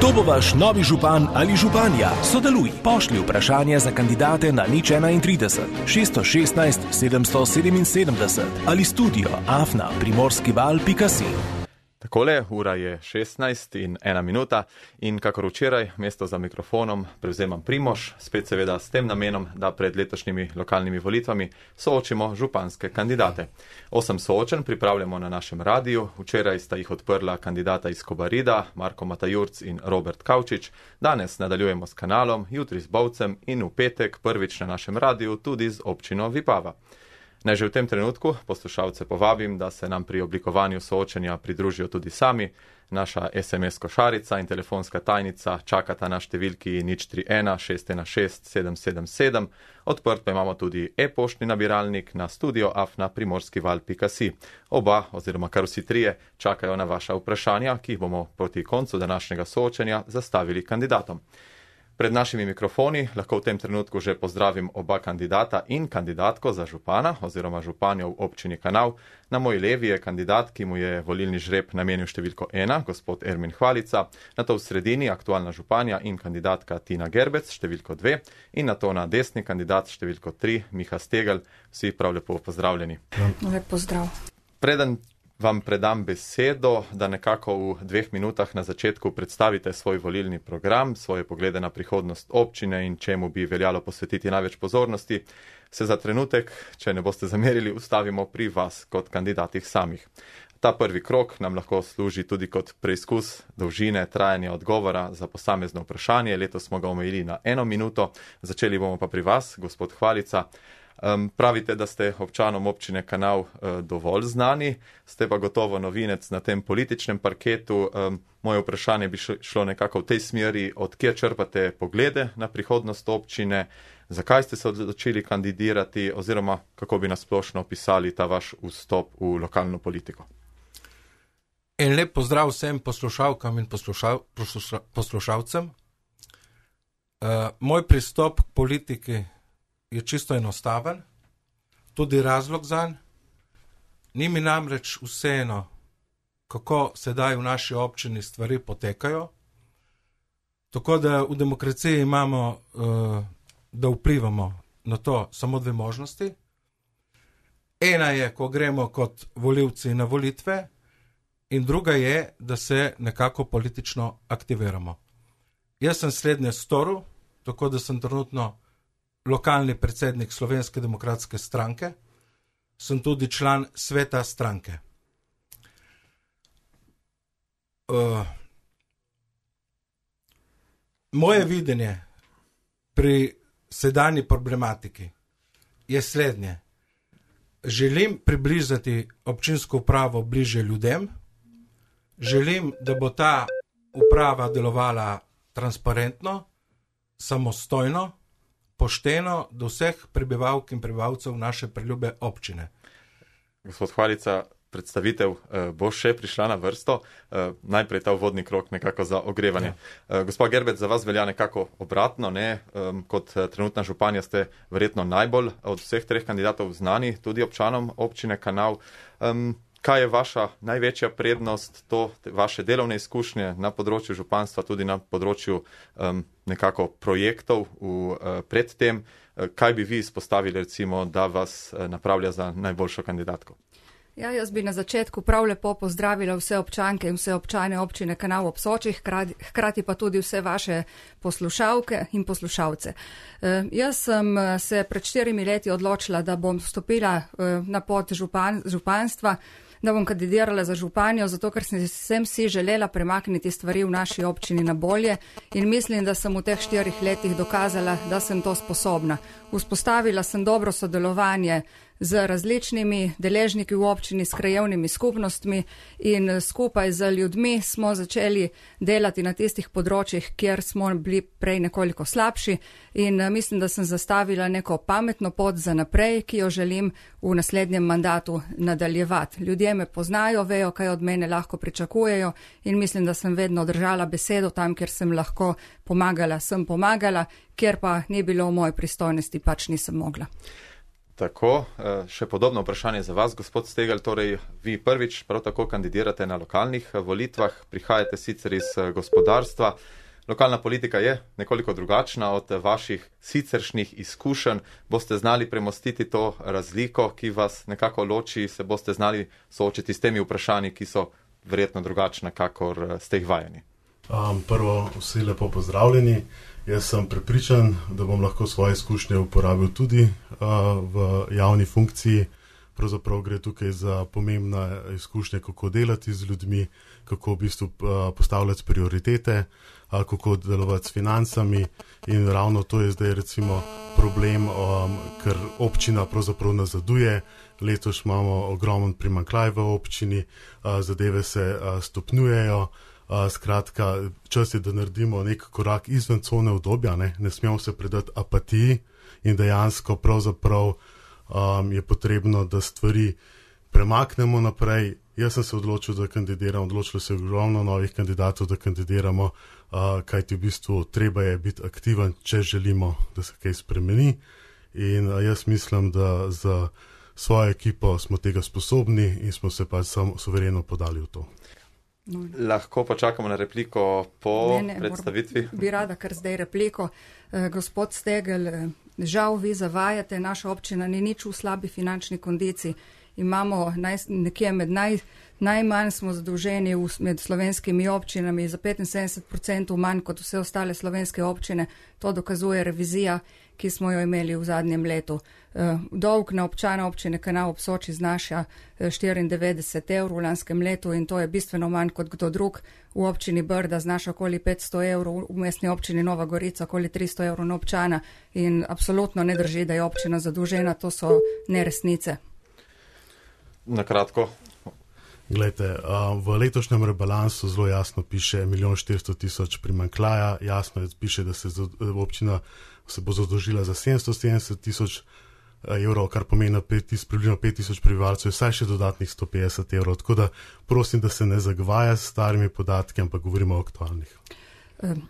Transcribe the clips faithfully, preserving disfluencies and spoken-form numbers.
Kdo bo vaš novi župan ali županja? Sodeluj, pošlji vprašanje za kandidate na nič enaintrideset, šeststo šestnajst, sedemsto sedeminsedemdeset ali studio afna primorskival pika si. Takole, ura je šestnajst in ena minuta in kakor včeraj, mesto za mikrofonom prevzemam Primož, spet seveda s tem namenom, da pred letošnjimi lokalnimi volitvami soočimo županske kandidate. Osem soočen pripravljamo na našem radiju, včeraj sta jih odprla kandidata iz Kobarida, Marko Matajurc in Robert Kavčič, danes nadaljujemo s kanalom, jutri z Bovcem in v petek prvič na našem radiju tudi z občino Vipava. Naj že v tem trenutku poslušalce povabim, da se nam pri oblikovanju soočenja pridružijo tudi sami. Naša es em es košarica in telefonska tajnica čakata na številki nič tri ena šest ena šest sedem sedem sedem. Odprt pa imamo tudi e-poštni nabiralnik na studio afna primorskival pika si. Oba, oziroma kar vsi trije, čakajo na vaša vprašanja, ki jih bomo proti koncu današnjega soočenja zastavili kandidatom. Pred našimi mikrofoni lahko v tem trenutku že pozdravim oba kandidata in kandidatko za župana oziroma županjo v občini Kanal. Na moji levi je kandidat, ki mu je volilni žreb namenil številko ena, gospod Ermin Hvalica, na to v sredini aktualna županja in kandidatka Tina Gerbec, številko dve, in na to na desni kandidat številko tri, Miha Stegel. Vsi prav lepo pozdravljeni. Lep pozdrav. Preden vam predam besedo, da nekako v dveh minutah na začetku predstavite svoj volilni program, svoje poglede na prihodnost občine in čemu bi veljalo posvetiti največ pozornosti, se za trenutek, če ne boste zamerili, ustavimo pri vas kot kandidatih samih. Ta prvi krok nam lahko služi tudi kot preizkus dolžine trajanja odgovora za posamezno vprašanje. Letos smo ga omejili na eno minuto, začeli bomo pa pri vas, gospod Hvalica. Um, pravite, da ste občanom občine Kanal uh, dovolj znani, ste pa gotovo novinec na tem političnem parketu. Um, moje vprašanje bi šlo nekako v tej smeri, od kje črpate poglede na prihodnost občine, zakaj ste se odločili kandidirati oziroma kako bi nasplošno opisali ta vaš vstop v lokalno politiko. En lep pozdrav vsem poslušalkam in poslušal, posluša, poslušalcem. Uh, moj pristop k politiki je čisto enostaven, tudi razlog zanj. Ni mi namreč vseeno, kako sedaj v naši občini stvari potekajo. Tako da v demokraciji imamo, da vplivamo na to samo dve možnosti. Ena je, ko gremo kot volivci na volitve, in druga je, da se nekako politično aktiviramo. Jaz sem slednje storil, tako da sem trenutno lokalni predsednik Slovenske demokratske stranke, sem tudi član sveta stranke. Uh, moje videnje pri sedanji problematiki je slednje. Želim približati občinsko upravo bliže ljudem, želim, da bo ta uprava delovala transparentno, samostojno, pošteno do vseh prebivalk in prebivalcev naše preljube občine. Gospod Hvalica, predstavitev eh, bo še prišla na vrsto. Eh, najprej ta uvodni krok nekako za ogrevanje. Ja. Eh, gospod Gerbec, za vas velja nekako obratno, ne? Eh, kot trenutna županja ste verjetno najbolj od vseh treh kandidatov znani, tudi občanom občine Kanal. Eh, Kaj je vaša največja prednost, to vaše delovne izkušnje na področju županstva, tudi na področju um, nekako projektov v, uh, predtem? Kaj bi vi izpostavili, recimo, da vas uh, napravlja za najboljšo kandidatko? Ja, jaz bi na začetku prav lepo pozdravila vse občanke in vse občane občine Kanal ob Soči, hkrati, hkrati pa tudi vse vaše poslušalke in poslušalce. Uh, jaz sem se pred štirimi leti odločila, da bom vstopila uh, na pot župan, županstva, da bom kandidirala za županjo, zato ker sem si želela premakniti stvari v naši občini na bolje in mislim, da sem v teh štirih letih dokazala, da sem to sposobna. Vzpostavila sem dobro sodelovanje z različnimi deležniki v občini, s krajevnimi skupnostmi in skupaj z ljudmi smo začeli delati na tistih področjih, kjer smo bili prej nekoliko slabši in mislim, da sem zastavila neko pametno pot za naprej, ki jo želim v naslednjem mandatu nadaljevati. Ljudje me poznajo, vejo, kaj od mene lahko pričakujejo in mislim, da sem vedno držala besedo tam, kjer sem lahko pomagala, sem pomagala, kjer pa ni bilo v moji pristojnosti, pač nisem mogla. Tako, še podobno vprašanje za vas, gospod Stegelj, torej vi prvič prav tako kandidirate na lokalnih volitvah, prihajate sicer iz gospodarstva. Lokalna politika je nekoliko drugačna od vaših siceršnjih izkušenj. Boste znali premostiti to razliko, ki vas nekako loči, se boste znali soočiti s temi vprašanji, ki so verjetno drugačna, kakor ste jih vajeni. Um, prvo, vsi lepo pozdravljeni. Jaz sem prepričan, da bom lahko svoje izkušnje uporabil tudi uh, v javni funkciji. Pravzaprav gre tukaj za pomembne izkušnje, kako delati z ljudmi, kako v bistvu uh, postavljati prioritete, uh, kako delovati s financami, in ravno to je zdaj recimo problem, um, ker občina pravzaprav nazaduje. Letos imamo ogromen primanjkljaj v občini, uh, zadeve se uh, stopnjujejo. Uh, skratka, čas je, da naredimo nek korak izven cone udobja, ne, ne smemo se predati apatiji in dejansko pravzaprav um, je potrebno, da stvari premaknemo naprej. Jaz sem se odločil, da kandidiram, odločilo se je ogromno novih kandidatov, da kandidiramo, uh, kajti v bistvu treba je biti aktiven, če želimo, da se kaj spremeni, in uh, jaz mislim, da za svojo ekipo smo tega sposobni in smo se pa samo suvereno podali v to. No. Lahko pa čakamo na repliko po ne, ne, predstavitvi. Moram, bi rada kar zdaj repliko. Eh, gospod Stegelj, eh, žal vi zavajate, naša občina ni nič v slabi finančni kondiciji. Imamo naj, nekje med naj, najmanj smo zadolženi v, med slovenskimi občinami, za petinsedemdeset odstotkov manj kot vse ostale slovenske občine. To dokazuje revizija, ki smo jo imeli v zadnjem letu. Uh, dolg na občana občine Kanal ob Soči znaša štiriindevetdeset evrov v lanskem letu in to je bistveno manj kot kdo drug. V občini Brda znaša okoli petsto evrov, v mestni občini Nova Gorica okoli tristo evrov na občana in absolutno ne drži, da je občina zadolžena, to so neresnice. Na kratko. Glejte, v letošnjem rebalansu zelo jasno piše milijon štiristo tisoč primanjkljaja, jasno je piše, da se občina se bo zadolžila za sedemsto sedemdeset tisoč evrov, kar pomeni približno pet tisoč prebivalcev, vsaj še dodatnih sto petdeset evrov. Tako da prosim, da se ne zagvaja s starimi podatki, ampak govorimo o aktualnih. Um.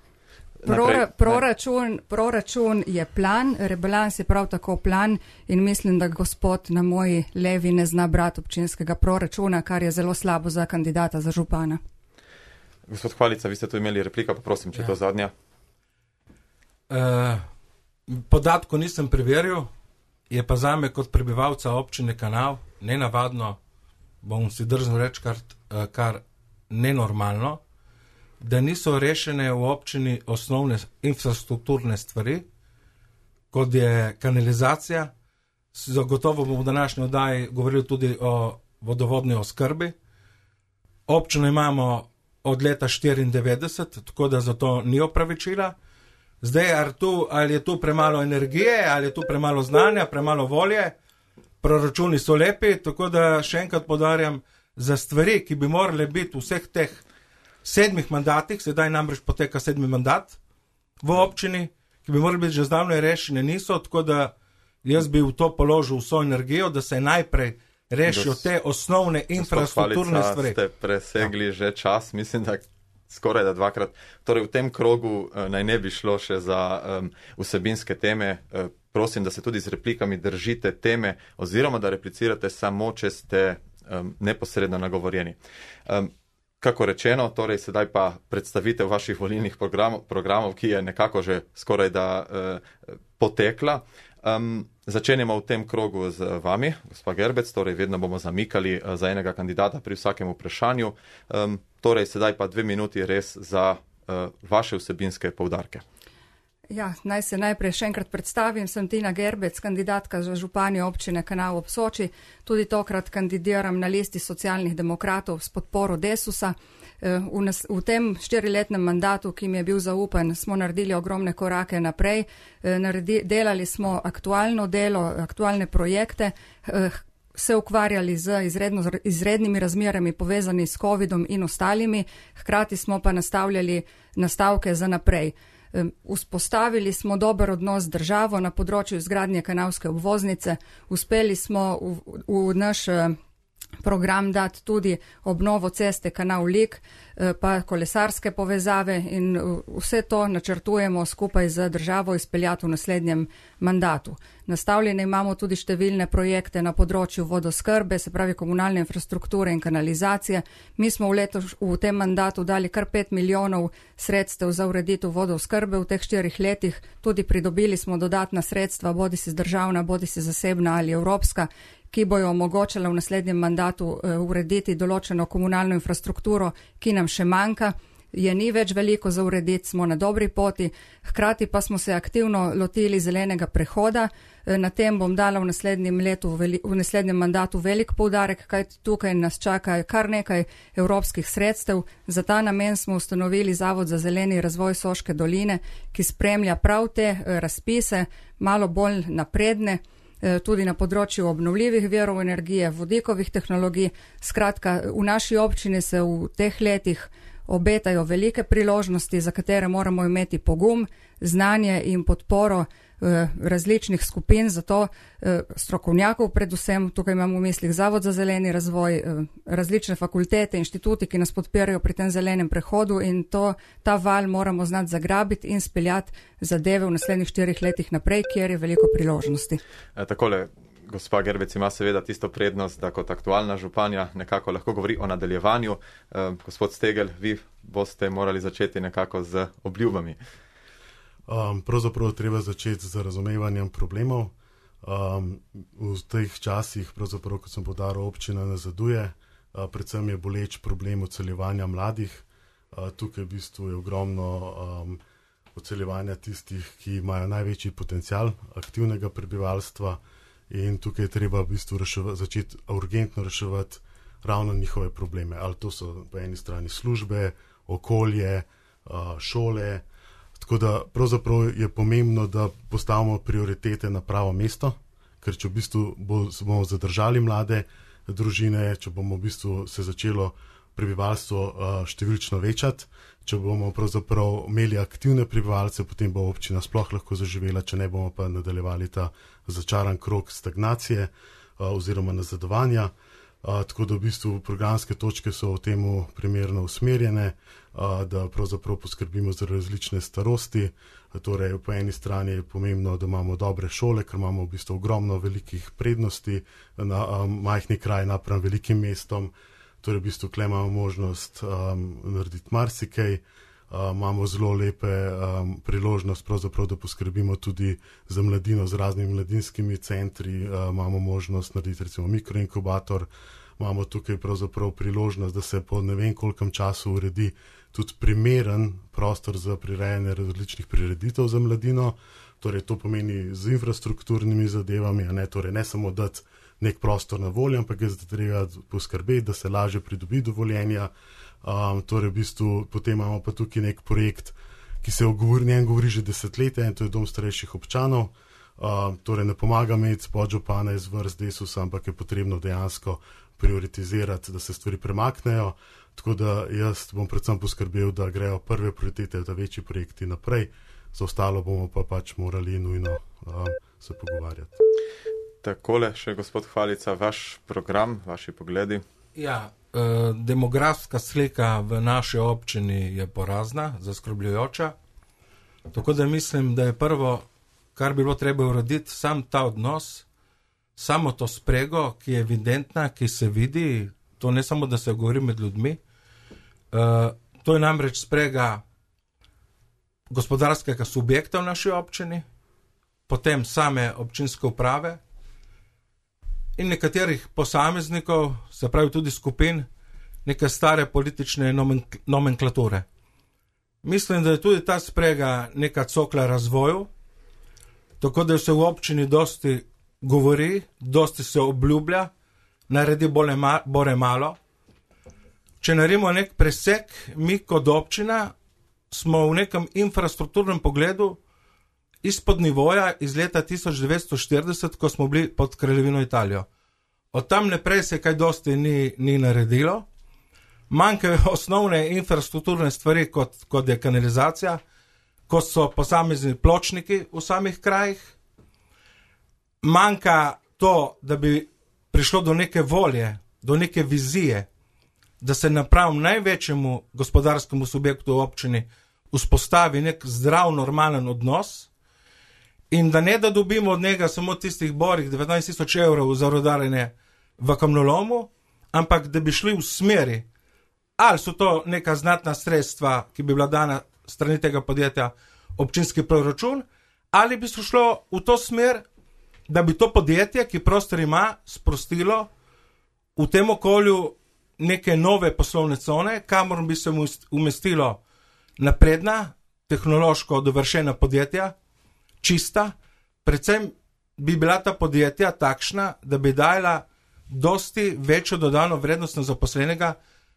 Prora, proračun, proračun je plan, rebalans je prav tako plan in mislim, da gospod na moji levi ne zna brati občinskega proračuna, kar je zelo slabo za kandidata za župana. Gospod Hvalica, vi ste tu imeli replika, pa prosim, če ja. To zadnja. Uh, podatko nisem preveril, je pa zame kot prebivalca občine Kanal nenavadno, bom si drznil reči kar, kar nenormalno, da niso rešene v občini osnovne infrastrukturne stvari, kot je kanalizacija. Zagotovo bomo v današnji oddaji govorili tudi o vodovodni oskrbi. Občino imamo od leta štiriindevetdeset, tako da zato ni opravičila. Zdaj, ali, tu, ali je tu premalo energije, ali je tu premalo znanja, premalo volje, proračuni so lepi, tako da še enkrat podarjam, za stvari, ki bi morali biti vseh teh sedmih mandatih, sedaj namreč poteka sedmi mandat v občini, ki bi morali biti že zdavno rešene, niso, tako da jaz bi v to položil vso energijo, da se najprej rešijo te osnovne infrastrukturne stvari. Ste presegli ja. Že čas, mislim, da skoraj da dvakrat. Torej v tem krogu uh, naj ne bi šlo še za um, vsebinske teme. Uh, prosim, da se tudi z replikami držite teme oziroma da replicirate samo, če ste um, neposredno nagovorjeni. Um, Kako rečeno, torej sedaj pa predstavitev vaših volilnih programov, programov ki je nekako že skoraj da eh, potekla. Um, začenjamo v tem krogu z vami, gospa Gerbec, torej vedno bomo zamikali eh, za enega kandidata pri vsakem vprašanju. Um, torej sedaj pa dve minuti res za eh, vaše vsebinske poudarke. Ja, naj se najprej še enkrat predstavim, sem Tina Gerbec, kandidatka za županjo občine Kanal ob Soči. Tudi tokrat kandidiram na listi socialnih demokratov s podporo Desusa. V, nas, v tem štiriletnem mandatu, ki mi je bil zaupan, smo naredili ogromne korake naprej. Naredi, delali smo aktualno delo, aktualne projekte, se ukvarjali z izredno, izrednimi razmerami povezani s covidom in ostalimi, hkrati smo pa nastavljali nastavke za naprej. Vzpostavili smo dober odnos z državo na področju izgradnje kanalske obvoznice, uspeli smo v, v naš program dati tudi obnovo ceste kanal Lik, pa kolesarske povezave in vse to načrtujemo skupaj z državo izpeljati v naslednjem mandatu. Nastavljene imamo tudi številne projekte na področju vodoskrbe, se pravi komunalne infrastrukture in kanalizacije. Mi smo v, leto, v tem mandatu dali kar pet milijonov sredstev za ureditev vodoskrbe v teh štirih letih. Tudi pridobili smo dodatna sredstva, bodi si državna, bodi si zasebna ali evropska, ki bojo omogočala v naslednjem mandatu uh, urediti določeno komunalno infrastrukturo, ki nam še manjka. Je ni več veliko za urediti, smo na dobri poti, hkrati pa smo se aktivno lotili zelenega prehoda. Na tem bom dala v naslednjem letu, v naslednjem mandatu velik poudarek, kaj tukaj nas čaka kar nekaj evropskih sredstev. Za ta namen smo ustanovili Zavod za zeleni razvoj Soške doline, ki spremlja prav te razpise, malo bolj napredne, tudi na področju obnovljivih virov energije, vodikovih tehnologij. Skratka, v naši občini se v teh letih obetajo velike priložnosti, za katere moramo imeti pogum, znanje in podporo eh, različnih skupin, zato eh, strokovnjakov predvsem, tukaj imamo v mislih Zavod za zeleni razvoj, eh, različne fakultete, inštituti, ki nas podpirajo pri tem zelenem prehodu in to, ta val moramo znati zagrabiti in speljati zadeve v naslednjih štirih letih naprej, kjer je veliko priložnosti. E, takole, gospa Gerbec ima seveda tisto prednost, da kot aktualna županja nekako lahko govori o nadaljevanju. E, gospod Stegel, vi boste morali začeti nekako z obljubami. Um, pravzaprav treba začeti z razumevanjem problemov. Um, v teh časih, pravzaprav, kot sem podaril, občina nazaduje, uh, predvsem je boleč problem odseljevanja mladih. Uh, tukaj v bistvu je ogromno um, odseljevanja tistih, ki imajo največji potencial aktivnega prebivalstva. In tukaj je treba v bistvu reševa, začeti urgentno reševati ravno njihove probleme. Ali to so po eni strani službe, okolje, šole. Tako da pravzaprav je pomembno, da postavimo prioritete na pravo mesto, ker če v bistvu bo, bomo zadržali mlade družine, če bomo v bistvu se začelo prebivalstvo številčno večati, če bomo pravzaprav imeli aktivne prebivalce, potem bo občina sploh lahko zaživela, če ne bomo pa nadaljevali ta začaran krog stagnacije uh, oziroma nazadovanja. Uh, tako da v bistvu programske točke so v temu primerno usmerjene, uh, da pravzaprav poskrbimo za različne starosti. Torej, po eni strani je pomembno, da imamo dobre šole, ker imamo v bistvu ogromno velikih prednosti na uh, majhni kraj napram velikim mestom. Torej, v bistvu tukaj imamo možnost um, narediti marsikaj. Uh, imamo zelo lepe um, priložnost, pravzaprav, da poskrbimo tudi za mladino z raznimi mladinskimi centri. Uh, imamo možnost narediti recimo mikroinkubator. Imamo tukaj pravzaprav priložnost, da se po ne vem kolkem času uredi tudi primeren prostor za prirejanje različnih prireditev za mladino. Torej, to pomeni z infrastrukturnimi zadevami, a ne, torej, ne samo dati nek prostor na voljo, ampak je treba poskrbeti, da se lažje pridobi dovoljenja. Um, torej, v bistvu, potem imamo pa tukaj nek projekt, ki se o njem govori že desetletja, in to je dom starejših občanov. Um, torej, ne pomaga imeti podžupana iz vrst Desusa, ampak je potrebno dejansko prioritizirati, da se stvari premaknejo. Tako da jaz bom predvsem poskrbel, da grejo prve prioritete, da večji projekti naprej, za ostalo bomo pa pač morali nujno um, se pogovarjati. Takole še, gospod Hvalica, vaš program, vaši pogledi. Ja, eh, demografska slika v naši občini je porazna, zaskrbljujoča. Tako da mislim, da je prvo, kar bi bilo treba urediti, sam ta odnos, samo to sprego, ki je evidentna, ki se vidi, to ne samo, da se govori med ljudmi. Eh, to je namreč sprega gospodarskega subjekta v naši občini, potem same občinske uprave, in nekaterih posameznikov, se pravi tudi skupin, neke stare politične nomenklature. Mislim, da je tudi ta sprega neka cokla razvoju, tako da se v občini dosti govori, dosti se obljublja, naredi bolj bore malo. Če naredimo nek presek, mi kot občina smo v nekem infrastrukturnem pogledu izpod nivoja iz leta tisoč devetsto štirideset, ko smo bili pod Kraljevino Italijo. Od tam naprej se kaj dosti ni, ni naredilo. Manjkajo osnovne infrastrukturne stvari, kot, kot je kanalizacija, kot so posamezni pločniki v samih krajih. Manjka to, da bi prišlo do neke volje do neke vizije, da se naprav največjemu gospodarskemu subjektu v občini vzpostavi nek zdrav, normalen odnos in da ne da dobimo od njega samo tistih borih devetnajst tisoč evrov za rudarjenje v kamnolomu, ampak da bi šli v smeri, ali so to neka znatna sredstva, ki bi bila dana strani tega podjetja občinski proračun, ali bi se šlo v to smer, da bi to podjetje, ki prostor ima, sprostilo v tem okolju neke nove poslovne cone, kamor bi se umestilo napredna, tehnološko dovršena podjetja, čista, predvsem bi bila ta podjetja takšna, da bi dajala dosti večjo dodano vrednost na zaposlenega,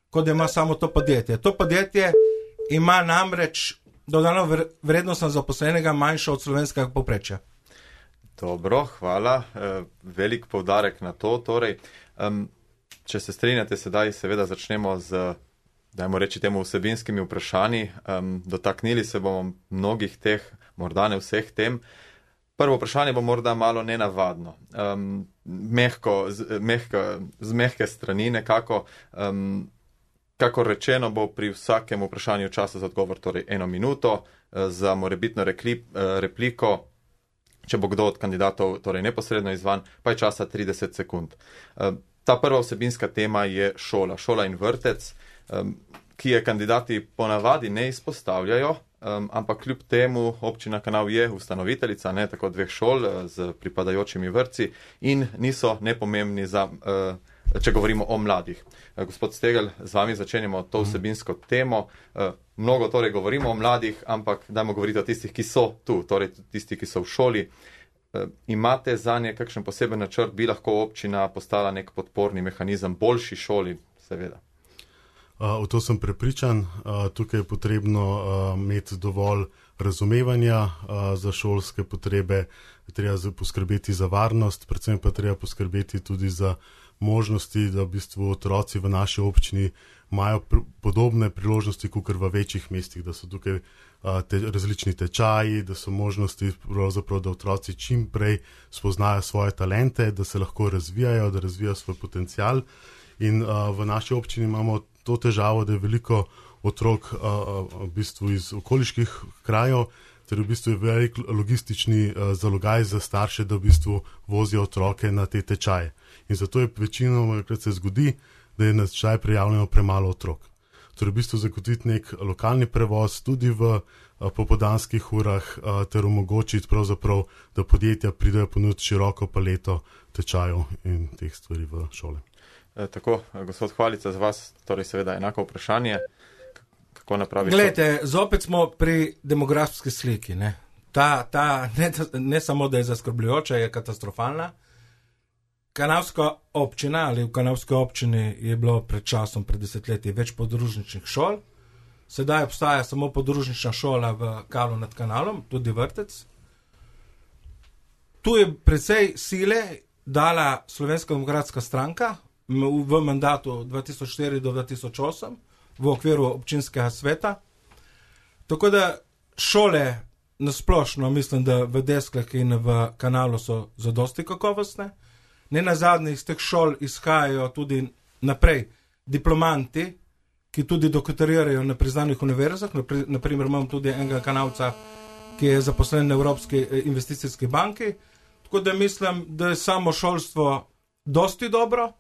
kot ima samo to podjetje. To podjetje ima namreč dodano vrednost na zaposlenega manjšo od slovenskega povprečja. Dobro, hvala. E, velik poudarek na to. Torej, um, če se strinjate, sedaj seveda začnemo z, dajmo reči temu, vsebinskimi vprašanji. Um, dotaknili se bomo mnogih teh, morda ne vseh tem. Prvo vprašanje bo morda malo nenavadno. Um, mehko, z, mehko, z mehke strani nekako. Um, kako rečeno bo pri vsakem vprašanju časa za odgovor, torej eno minuto, za morebitno rekli, repliko, če bo kdo od kandidatov torej neposredno izvan, pa je časa trideset sekund. Ta prva vsebinska tema je šola, šola in vrtec, ki je kandidati ponavadi ne izpostavljajo, ampak kljub temu občina Kanal je ustanoviteljica, ne tako dveh šol z pripadajočimi vrtci in niso nepomembni za, če govorimo o mladih. Gospod Stegel, z vami začenjamo to vsebinsko temo. Mnogo torej govorimo o mladih, ampak dajmo govoriti o tistih, ki so tu, torej tisti, ki so v šoli. Imate za nje kakšen poseben načrt, bi lahko občina postala nek podporni mehanizem boljši šoli, seveda? V to sem prepričan. Tukaj je potrebno imeti dovolj razumevanja za šolske potrebe, treba poskrbeti za varnost, predvsem pa treba poskrbeti tudi za možnosti, da v bistvu otroci v naši občini imajo pr- podobne priložnosti, kot v večjih mestih, da so tukaj te, različni tečaji, da so možnosti, da otroci čim prej spoznajo svoje talente, da se lahko razvijajo, da razvijajo svoj potencial. In a, v naši občini imamo to težavo, da je veliko otrok a, a, v bistvu iz okoliških krajev, ter v bistvu je velik logistični a, zalogaj za starše, da v bistvu vozijo otroke na te tečaje. In zato je večinoma, krat se zgodi, da je na tečaj prijavljeno premalo otrok. Torej v bistvu zagotoviti nek lokalni prevoz tudi v a, popoldanskih urah a, ter omogočiti pravzaprav, da podjetja pridejo ponuditi široko paleto tečajev in teh stvari v šole. E, tako, gospod Hvalica, za vas torej seveda enako vprašanje. Kako napraviti? Glejte, zopet smo pri demografski sliki. Ne? Ta, ta ne, ne samo, da je zaskrbljujoča, je katastrofalna. Kanalska občina ali v Kanalski občini je bilo pred časom, pred desetletji, več podružničnih šol. Sedaj obstaja samo podružnična šola v Kalu nad Kanalom, tudi vrtec. Tu je precej sile dala Slovenska demokratska stranka v mandatu dva tisoč štiri do dva tisoč osem v okviru občinskega sveta. Tako da šole nasplošno mislim, da v Desklah in v Kanalu so zadosti kakovostne. Ne nazadnje iz teh šol izhajajo tudi naprej diplomanti, ki tudi doktorirajo na priznanih univerzah. Naprimer imam tudi enega Kanalca, ki je zaposlen na Evropski investicijski banki. Tako da mislim, da je samo šolstvo dosti dobro.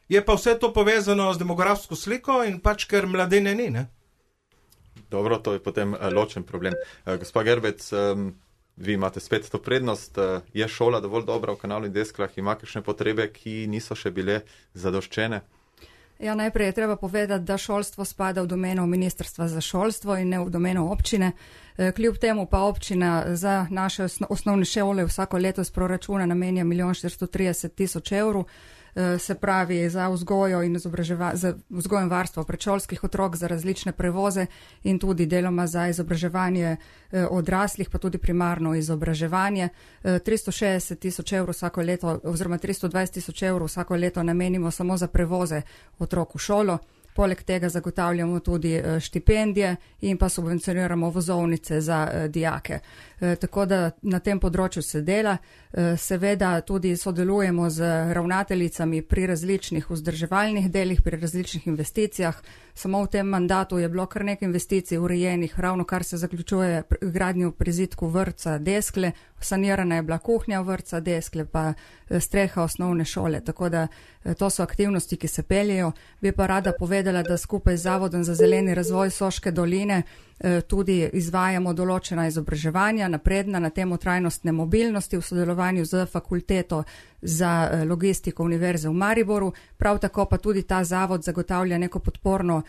Je pa vse to povezano z demografsko sliko in pač, ker mladine ni, ne? Dobro, to je potem ločen problem. Gospa Gerbec, vi imate spet to prednost. Je šola dovolj dobra v Kanalu in Desklah? Ima kakšne potrebe, ki niso še bile zadoščene? Ja, najprej je treba povedati, da šolstvo spada v domeno Ministrstva za šolstvo in ne v domeno občine. Kljub temu pa občina za naše osnovne šole vsako leto z proračuna namenja milijon štiristo trideset tisoč evrov. Se pravi za vzgojo in za vzgojo in varstvo predšolskih otrok, za različne prevoze in tudi deloma za izobraževanje odraslih, pa tudi primarno izobraževanje. tristo šestdeset tisoč evrov vsako leto oziroma tristo dvajset tisoč evrov vsako leto namenimo samo za prevoze otrok v šolo. Poleg tega zagotavljamo tudi štipendije in pa subvencioniramo vozovnice za dijake. Tako da na tem področju se dela. Seveda tudi sodelujemo z ravnateljicami pri različnih vzdrževalnih delih, pri različnih investicijah. Samo v tem mandatu je bilo kar nekaj investicij urejenih, ravno kar se zaključuje gradnjo prizidku vrtca Deskle, sanirana je bila kuhnja vrtca Deskle, pa streha osnovne šole, tako da to so aktivnosti, ki se peljejo. Bi pa rada povedala, da skupaj z Zavodom za zeleni razvoj Soške doline tudi izvajamo določena izobraževanja, napredna na temo trajnostne mobilnosti v sodelovanju z fakulteto za logistiko Univerze v Mariboru. Prav tako pa tudi ta zavod zagotavlja neko podporno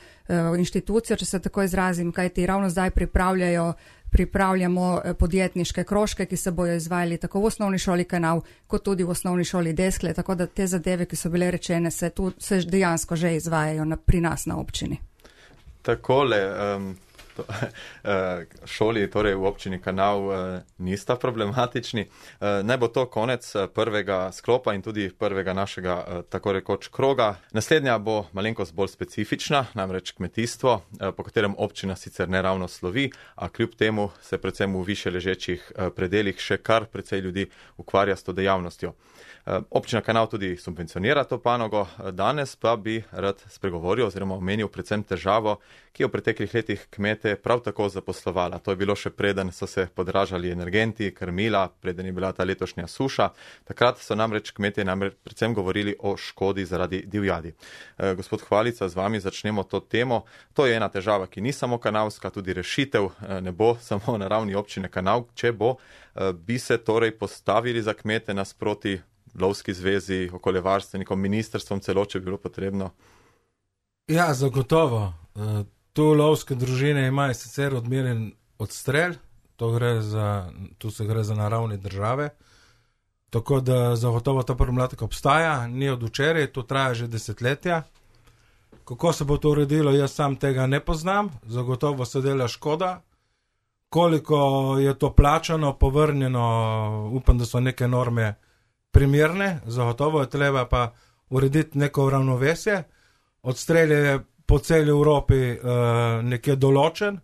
inštitucijo, če se tako izrazim, kajti ravno zdaj pripravljajo pripravljamo podjetniške krožke, ki se bojo izvajali tako v osnovni šoli Kanal, kot tudi v osnovni šoli Deskle, tako da te zadeve, ki so bile rečene, se, tu, se dejansko že izvajajo na, pri nas na občini. Takole, um, to, uh, šoli torej v občini Kanal uh, nista problematični. Uh, naj bo to konec prvega sklopa in tudi prvega našega uh, tako rekoč kroga. Naslednja bo malenkost bolj specifična, namreč kmetijstvo, uh, po katerem občina sicer ne ravno slovi, a kljub temu se predvsem v više ležečih uh, predelih še kar precej ljudi ukvarja s to dejavnostjo. Občina Kanal tudi subvencionira to panogo, danes pa bi rad spregovoril oziroma omenil predvsem težavo, ki je v preteklih letih kmete prav tako zaposlovala. To je bilo še preden so se podražali energenti, krmila, preden je bila ta letošnja suša. Takrat so namreč kmetje namreč predvsem govorili o škodi zaradi divjadi. Gospod Hvalica, z vami začnemo to temo. To je ena težava, ki ni samo kanalska, tudi rešitev ne bo samo na ravni občine Kanal. Če bo, bi se torej postavili za kmete nasproti lovski zvezi, okoljevarstvenikom, ministrstvom celo, če bi bilo potrebno? Ja, zagotovo. Tu lovske družine imajo sicer odmeren odstrel, to gre za, tu se gre za naravne države, tako da zagotovo ta problematika obstaja, ni od včeraj, to traja že desetletja. Kako se bo to uredilo, jaz sam tega ne poznam, zagotovo se dela škoda. Koliko je to plačano, povrnjeno, upam, da so neke norme primerne, zagotovo je treba pa urediti neko ravnovesje. Odstrel je po celi Evropi uh, nekje določen,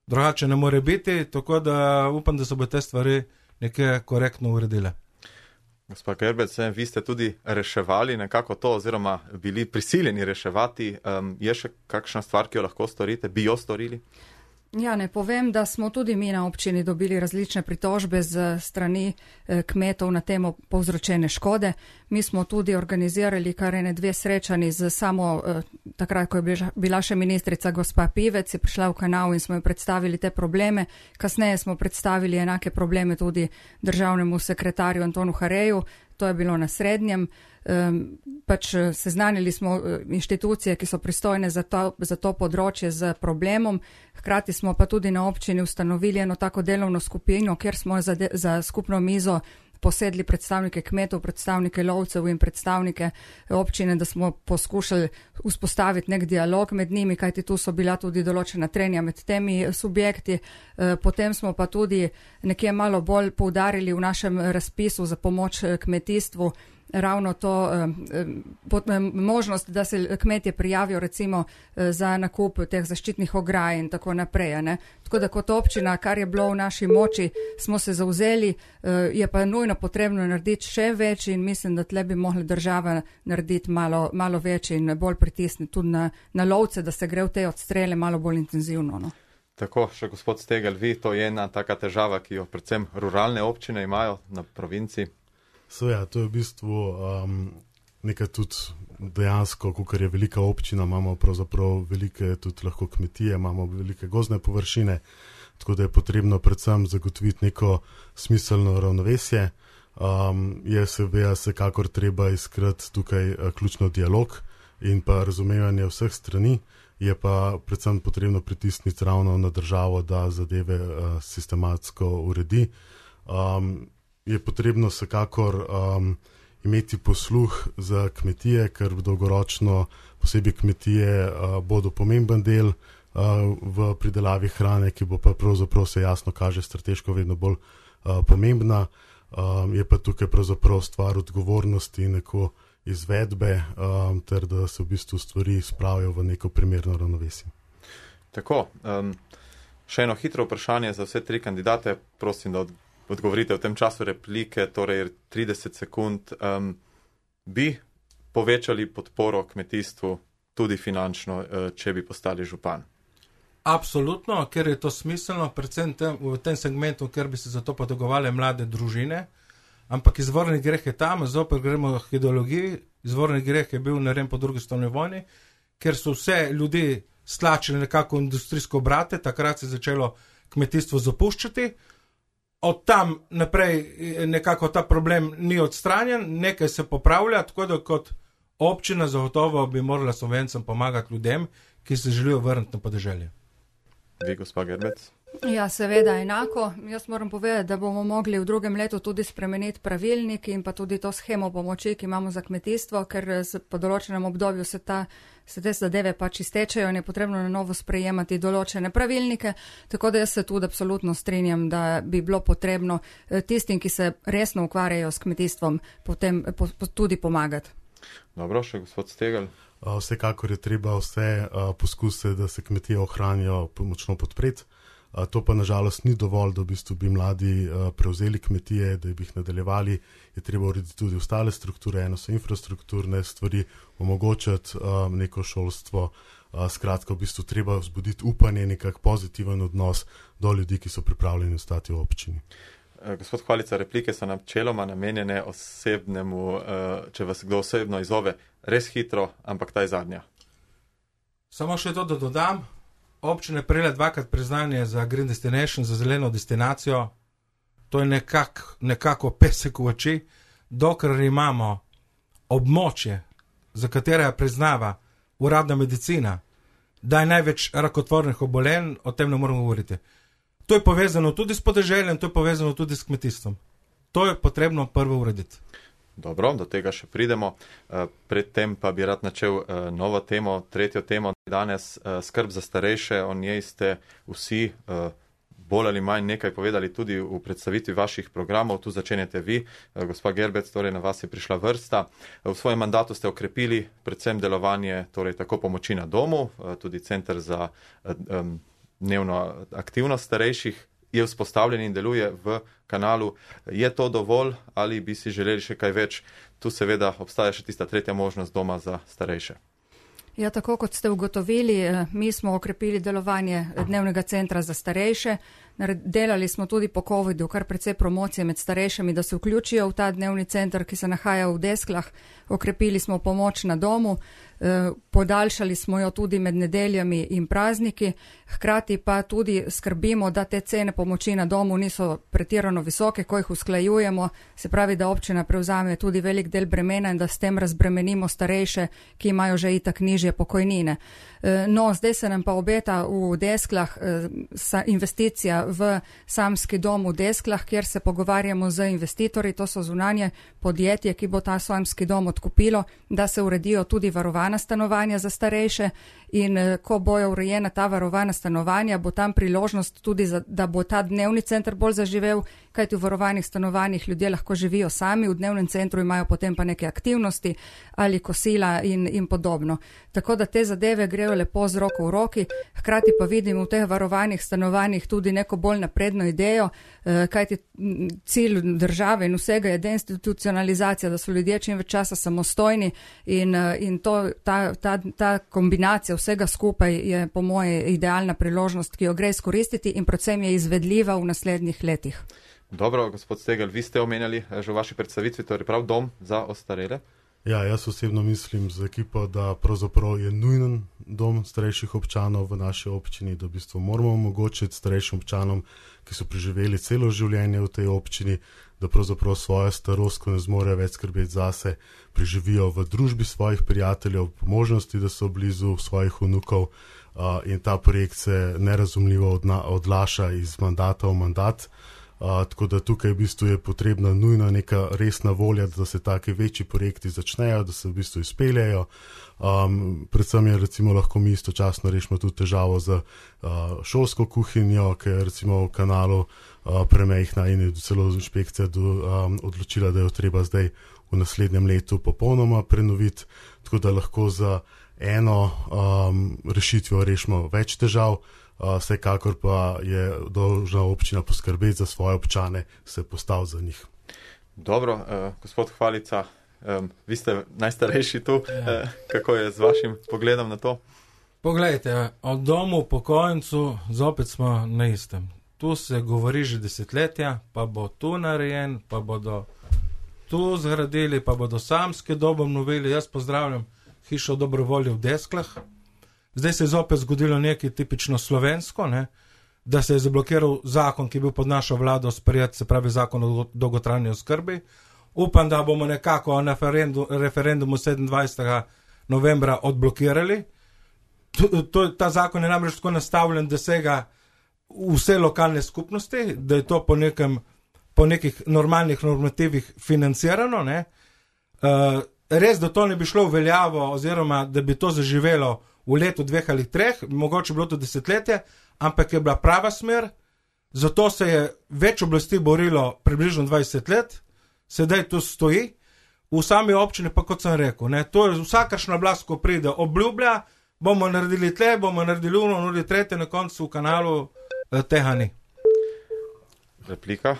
drugače ne more biti, tako da upam, da se bo te stvari nekje korektno uredile. Gospod Gerbec, vi ste tudi reševali nekako to, oziroma bili prisiljeni reševati. Um, je še kakšna stvar, ki jo lahko storite, bi jo storili? Ja, ne povem, da smo tudi mi na občini dobili različne pritožbe z strani kmetov na temo povzročene škode. Mi smo tudi organizirali kar ene dve srečani z samo, takrat, ko je bila še ministrica gospa Pivec, je prišla v Kanal in smo jo predstavili te probleme. Kasneje smo predstavili enake probleme tudi državnemu sekretarju Antonu Hareju, to je bilo na Srednjem. Um, pač seznanili smo inštitucije, ki so pristojne za to, za to področje z problemom. Hkrati smo pa tudi na občini ustanovili eno tako delovno skupino, kjer smo za, de, za skupno mizo posedli predstavnike kmetov, predstavnike lovcev in predstavnike občine, da smo poskušali vzpostaviti nek dialog med njimi, kajti tu so bila tudi določena trenja med temi subjekti. Potem smo pa tudi nekje malo bolj poudarili v našem razpisu za pomoč kmetijstvu ravno to eh, možnost, da se kmetje prijavijo recimo eh, za nakup teh zaščitnih ograj in tako naprej. Ne? Tako da kot občina, kar je bilo v naši moči, smo se zauzeli, eh, je pa nujno potrebno narediti še več in mislim, da tle bi mohla država narediti malo, malo več in bolj pritisniti tudi na, na lovce, da se gre v te odstrele malo bolj intenzivno. No? Tako, še gospod Stegel, vi, to je ena taka težava, ki jo predvsem ruralne občine imajo na provinciji. So ja, to je v bistvu um, nekaj tudi dejansko, kakor je velika občina, imamo pravzaprav velike tudi lahko kmetije, imamo velike gozdne površine, tako da je potrebno predvsem zagotoviti neko smiselno ravnovesje. Um, je seveda vsekakor treba iskrati tukaj uh, ključno dialog in pa razumevanje vseh strani, je pa predvsem potrebno pritisniti ravno na državo, da zadeve uh, sistematsko uredi. Um, je potrebno vsekakor um, imeti posluh za kmetije, ker dolgoročno posebej kmetije uh, bodo pomemben del uh, v pridelavi hrane, ki bo pa pravzaprav se jasno kaže strateško vedno bolj uh, pomembna. Um, je pa tukaj pravzaprav stvar odgovornosti in neko izvedbe, um, ter da se v bistvu stvari spravijo v neko primerno ravnovesje. Tako, um, še eno hitro vprašanje za vse tri kandidate, prosim, da odgovorite v tem času replike, torej trideset sekund. Um, bi povečali podporo kmetijstvu tudi finančno, če bi postali župan? Absolutno, ker je to smiselno, predvsem tem, v tem segmentu, ker bi se za to potegovali mlade družine, ampak izvorni greh je tam, zopet gremo k ideologiji, izvorni greh je bil narejen po drugi svetovni vojni, ker so vse ljudi stlačili nekako v industrijsko obrate, takrat se je začelo kmetijstvo zapuščati, od tam naprej nekako ta problem ni odstranjen, nekaj se popravlja, tako da kot občina zagotovo bi morala Slovencem pomagati ljudem, ki se želijo vrniti na podeželje. Vi, gospa Gerbec? Ja, seveda enako. Jaz moram povedati, da bomo mogli v drugem letu tudi spremeniti pravilnik in pa tudi to schemo pomoči, ki imamo za kmetijstvo, ker po določenem obdobju se, ta, se te zadeve pač iztečejo in je potrebno na novo sprejemati določene pravilnike, tako da jaz se tudi absolutno strinjam, da bi bilo potrebno tistim, ki se resno ukvarjajo s kmetijstvom, potem po, po, tudi pomagati. Dobro, še gospod Stegel. Vsekakor je treba vse poskuse, da se kmetije ohranijo, močno podpreti. To pa nažalost ni dovolj, da v bistvu bi mladi prevzeli kmetije, da bi jih nadaljevali. Je treba urediti tudi ostale strukture, eno so infrastrukturne stvari, omogočati neko šolstvo. Skratka, v bistvu treba vzbuditi upanje, nekak pozitiven odnos do ljudi, ki so pripravljeni ostati v občini. Gospod Hvalica, replike so načeloma namenjene osebnemu, če vas kdo osebno izove, res hitro, ampak ta je zadnja. Samo še to, da dodam, občina je prejela dvakrat priznanje za Green Destination, za zeleno destinacijo, to je nekak, nekako pesek v oči, dokler imamo območje, za katera priznava uradna medicina, da je največ rakotvornih obolenj, o tem ne moramo govoriti. To je povezano tudi s podeželjem, to je povezano tudi s kmetijstvom. To je potrebno prvo urediti. Dobro, do tega še pridemo. Predtem pa bi rad načel novo temo, tretjo temo danes, skrb za starejše. O njej ste vsi bolj ali manj nekaj povedali tudi v predstavitvi vaših programov. Tu začenjate vi, gospa Gerbec, torej na vas je prišla vrsta. V svojem mandatu ste okrepili predvsem delovanje, torej tako pomoči na domu, tudi center za um, dnevno aktivnost starejših je vzpostavljen in deluje v kanalu. Je to dovolj ali bi si želeli še kaj več? Tu seveda obstaja še tista tretja možnost doma za starejše. Ja, tako kot ste ugotovili, mi smo okrepili delovanje dnevnega centra za starejše. Delali smo tudi po covidu kar precej promocije med starejšimi, da se vključijo v ta dnevni center, ki se nahaja v Desklah. Okrepili smo pomoč na domu, podaljšali smo jo tudi med nedeljami in prazniki, hkrati pa tudi skrbimo, da te cene pomoči na domu niso pretirano visoke, ko jih usklajujemo, se pravi, da občina prevzame tudi velik del bremena in da s tem razbremenimo starejše, ki imajo že itak nižje pokojnine. No, zdaj se nam pa obeta v Desklah investicija v samski dom v Desklah, kjer se pogovarjamo z investitorji, to so zunanje podjetje, ki bo ta samski dom odkupilo, da se uredijo tudi varovana stanovanja za starejše in ko bojo urejena ta varovana stanovanja, bo tam priložnost tudi, za, da bo ta dnevni center bolj zaživel, kajti v varovanih stanovanjih ljudje lahko živijo sami, v dnevnem centru imajo potem pa neke aktivnosti ali kosila in, in podobno. Tako da te zadeve grejo lepo z roko v roki, hkrati pa vidimo v teh varovanih stanovanjih tudi neko bolj napredno idejo, kajti cilj države in vsega je deinstitucionalizacija, da so ljudje čim več časa samostojni in, in to, ta, ta, ta kombinacija vsega skupaj je po moje idealna priložnost, ki jo gre izkoristiti in predvsem je izvedljiva v naslednjih letih. Dobro, gospod Stegel, vi ste omenjali že v vaši predstavitvi, torej prav dom za ostarele? Ja, jaz osebno mislim z ekipo, da pravzaprav je nujen dom starejših občanov v naši občini, da v bistvu moramo omogočiti starejšim občanom, ki so preživeli celo življenje v tej občini, da pravzaprav svojo starost, ko ne zmorejo več skrbeti zase, preživijo v družbi svojih prijateljev, po možnosti, da so blizu svojih vnukov uh, in ta projekt se nerazumljivo odna, odlaša iz mandata v mandat. Uh, tako da tukaj v bistvu je potrebna nujna neka resna volja, da se take večji projekti začnejo, da se v bistvu izpeljejo. Um, predvsem je recimo lahko mi istočasno rešimo tudi težavo z uh, šolsko kuhinjo, ki je recimo v kanalu uh, premejhna in je celo inšpekcija do, um, odločila, da jo treba zdaj v naslednjem letu popolnoma prenoviti, tako da lahko za eno um, rešitvijo rešimo več težav, uh, vsekakor pa je dolžna občina poskrbeti za svoje občane, se postaviti za njih. Dobro, uh, gospod Hvalica, um, vi ste najstarejši tu, ja. uh, kako je z vašim pogledom na to? Poglejte, o domu upokojencu zopet smo na istem. Tu se govori že desetletja, pa bo tu narejen, pa bodo tu zgradili, pa bodo samske dobo obnovili. Jaz pozdravljam hišo dobrovolje v Desklah. Zdaj se je zopet zgodilo nekaj tipično slovensko, ne? Da se je zablokiral zakon, ki je bil pod našo vlado sprejet, se pravi zakon o dolgotrajni oskrbi. Upam, da bomo nekako na referendum, referendumu sedemindvajsetega novembra odblokirali. To, to, ta zakon je namreč tako nastavljen, da sega vse lokalne skupnosti, da je to po, nekem, po nekih normalnih normativih financirano. Ne? Uh, res, da to ne bi šlo v veljavo oziroma da bi to zaživelo v letu dveh ali treh, mogoče bilo to desetletje, ampak je bila prava smer, zato se je več oblasti borilo približno dvajset let, sedaj to stoji, v sami občini pa, kot sem rekel, ne, to je vsakršna oblast, ko pride, obljublja, bomo naredili tle, bomo naredili uno, naredili tretje, na koncu v kanalu eh, tega ni. Replika?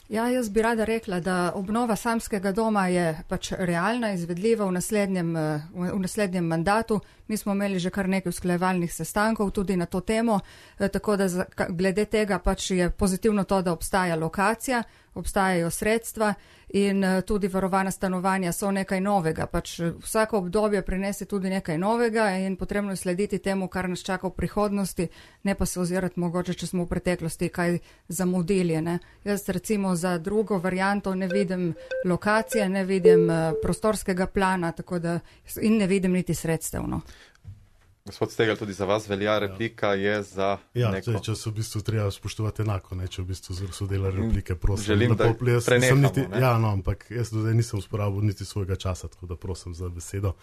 Ja, jaz bi rada rekla, da obnova samskega doma je pač realna, izvedljiva v naslednjem, v naslednjem mandatu. Mi smo imeli že kar nekaj usklajevalnih sestankov tudi na to temo, tako da glede tega pač je pozitivno to, da obstaja lokacija, obstajajo sredstva in tudi varovana stanovanja so nekaj novega. Pač vsako obdobje prinese tudi nekaj novega in potrebno je slediti temu, kar nas čaka v prihodnosti, ne pa se ozirati mogoče, če smo v preteklosti kaj zamudili. Ne? Jaz recimo za drugo varianto ne vidim lokacije, ne vidim prostorskega plana, tako da in ne vidim niti sredstev. No. Gospod Stegelj, tudi za vas velja replika, ja. Je za ja, neko... Ja, če se v bistvu treba spoštovati enako, ne, če v bistvu so delali replike, prosim. Želim, da prenehamo, niti, ja, no, ampak jaz do zdaj nisem uporabil niti svojega časa, tako da prosim za besedo.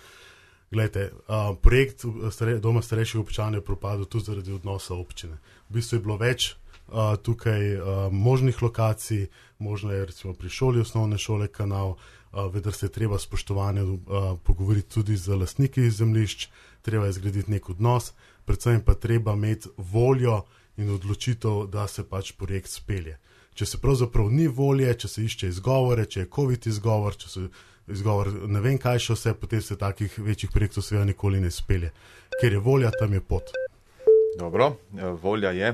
Glejte, uh, projekt stare, Doma starejših občanov je propadel tudi zaradi odnosa občine. V bistvu je bilo več uh, tukaj uh, možnih lokacij, možno je recimo pri šoli osnovne šole kanal, uh, vendar se je treba spoštovanje uh, pogovoriti tudi z lastniki zemljišč, treba je zgraditi nek odnos, predvsem pa treba imeti voljo in odločitev, da se pač projekt spelje. Če se pravzaprav ni volje, če se išče izgovore, če je COVID izgovor, če se izgovor ne vem kaj še vse, potem se takih večjih projektov seveda nikoli ne spelje. Ker je volja, tam je pot. Dobro, volja je.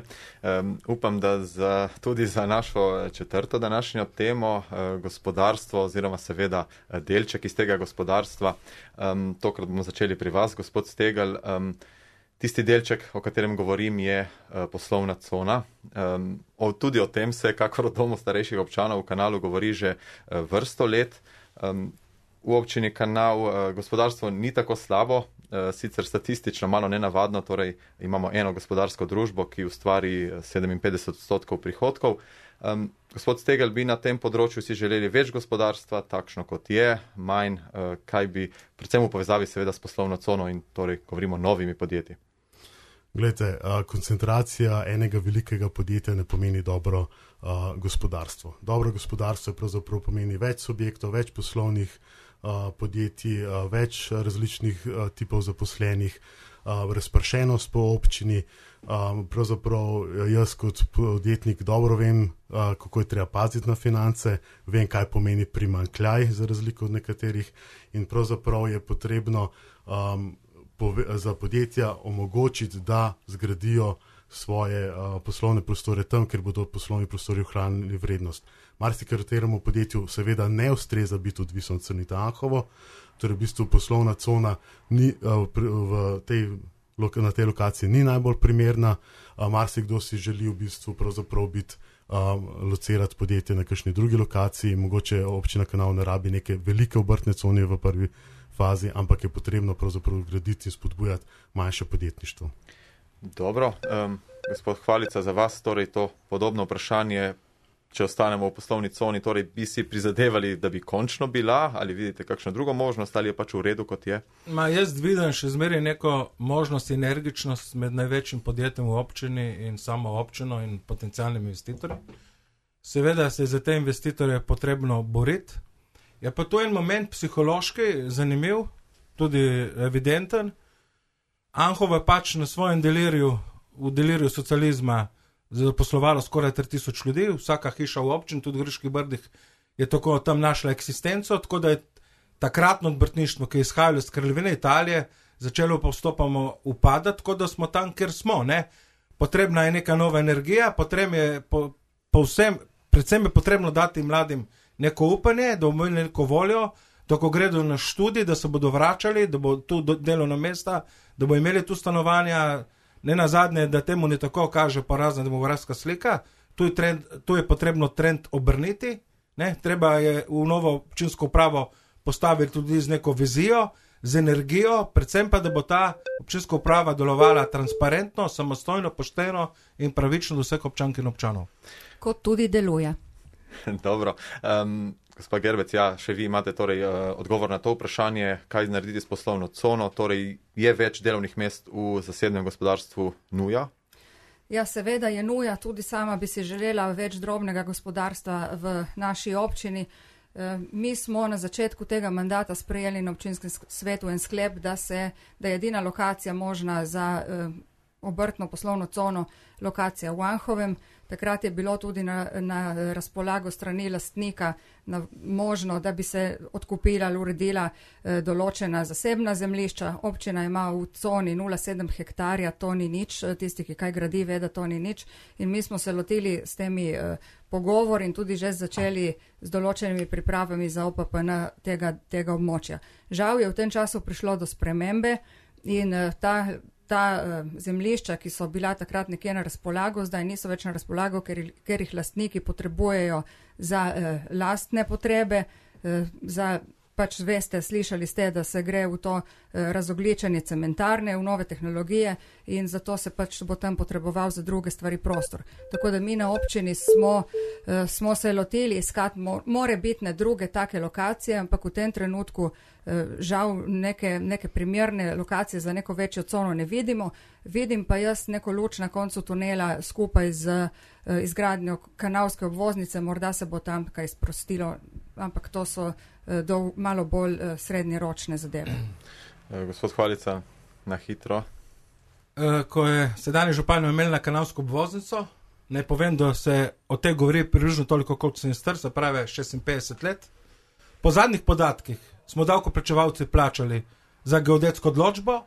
Um, upam, da za, tudi za našo četrto današnjo temo, uh, gospodarstvo oziroma seveda delček iz tega gospodarstva, um, tokrat bomo začeli pri vas, gospod Stegelj. Um, tisti delček, o katerem govorim, je uh, poslovna cona. Um, o, tudi o tem se, kakor o domu starejših občanov v kanalu, govori že uh, vrsto let. Um, v občini Kanal uh, gospodarstvo ni tako slabo, uh, sicer statistično malo nenavadno, torej imamo eno gospodarsko družbo, ki ustvari sedeminpetdeset odstotkov prihodkov. Um, gospod Stegelj, bi na tem področju si želeli več gospodarstva, takšno kot je, manj, uh, kaj bi, predvsem v povezavi seveda s poslovno cono in torej govorimo o novimi podjetji. Glejte, uh, koncentracija enega velikega podjetja ne pomeni dobro uh, gospodarstvo. Dobro gospodarstvo pravzaprav pomeni več subjektov, več poslovnih uh, podjetij, uh, več različnih uh, tipov zaposlenih, uh, razpršenost po občini. Uh, pravzaprav jaz kot podjetnik dobro vem, uh, kako je treba paziti na finance, vem, kaj pomeni primanjkljaj za razliko od nekaterih in pravzaprav je potrebno um, za podjetja omogočiti, da zgradijo svoje uh, poslovne prostore tam, ker bodo poslovni prostori ohranili vrednost. Marsikateremu podjetju seveda ne ustreza biti odvisno od Crnita Anhovo, torej v bistvu poslovna cona ni, uh, v tej, na tej lokaciji ni najbolj primerna, uh, marsikdo si želi v bistvu pravzaprav biti uh, locirati podjetje na kakšni drugi lokaciji, mogoče občina Kanal ne rabi neke velike obrtne cone v prvi fazi, ampak je potrebno pravzaprav graditi in spodbujati manjše podjetništvo. Dobro, um, gospod Hvalica, za vas torej to podobno vprašanje, če ostanemo v poslovni coni, torej bi si prizadevali, da bi končno bila, ali vidite kakšno drugo možnost, ali je pač v redu, kot je? Ma, jaz vidim še zmeraj neko možnost, energičnost med največjim podjetjem v občini in samo občino in potencialnimi investitorji. Seveda se za te investitorje potrebno boriti Je pa to en moment psihološki, zanimiv, tudi evidenten. Anhovo je pač na svojem delirju, v delirju socializma, zaposlovalo skoraj tri tisoč ljudi, vsaka hiša v občini, tudi v Griških Brdih, je tako tam našla eksistenco, tako da je takratno odbrtništvo, ki je izhajalo iz Kraljevine Italije, začelo postopoma upadati, tako da smo tam, kjer smo. Ne? Potrebna je neka nova energija, potrebno je po, po vsem, predvsem je potrebno dati mladim neko upanje, da bomo imeli neko voljo, da ko gredo na študij, da se bodo vračali, da bo tu delovna mesta, da bo imeli tu stanovanja, ne nazadnje, da temu ne tako kaže porazna demografska slika, tu je, trend, tu je potrebno trend obrniti, ne? Treba je v novo občinsko upravo postaviti tudi z neko vizijo, z energijo, predvsem pa, da bo ta občinska uprava delovala transparentno, samostojno, pošteno in pravično do vseh občank in občanov. Kot tudi deluje. Dobro. Um, gospa Gerbec, ja, še vi imate torej uh, odgovor na to vprašanje, kaj narediti s poslovno cono, torej je več delovnih mest v zasebnem gospodarstvu nuja? Ja, seveda je nuja, tudi sama bi si želela več drobnega gospodarstva v naši občini. Mi smo na začetku tega mandata sprejeli na občinskem svetu en sklep, da, se, da je edina lokacija možna za obrtno poslovno cono lokacija v Anhovem. Takrat je bilo tudi na, na razpolago strani lastnika na, možno, da bi se odkupila ali uredila eh, določena zasebna zemljišča. Občina ima v coni nula celih sedem hektarja, to ni nič, tisti, ki kaj gradi, ve, da to ni nič. In mi smo se lotili s temi eh, pogovori in tudi že začeli z določenimi pripravami za O P P N tega, tega območja. Žal je v tem času prišlo do spremembe in eh, ta Ta uh, zemljišča, ki so bila takrat nekje na razpolago, zdaj niso več na razpolago, ker, ker jih lastniki potrebujejo za uh, lastne potrebe, uh, za pač veste, slišali ste, da se gre v to uh, razogličenje cementarne, v nove tehnologije in zato se pač bo tam potreboval za druge stvari prostor. Tako da mi na občini smo, uh, smo se lotili iskati mo more bitne druge take lokacije, ampak v tem trenutku žal neke, neke primerne lokacije za neko večjo cono ne vidimo. Vidim pa jaz neko luč na koncu tunela skupaj z uh, izgradnjo kanalske obvoznice, morda se bo tam kaj sprostilo, ampak to so uh, dol, malo bolj uh, srednjeročne zadeve. Gospod Hvalica, na hitro. Uh, ko je sedanji župan imel na kanalsko obvoznico, naj povem, da se o tej govori približno toliko, koliko sem star, se pravi šestinpetdeset let. Po zadnjih podatkih smo davkoplačevalci plačali za geodetsko odločbo,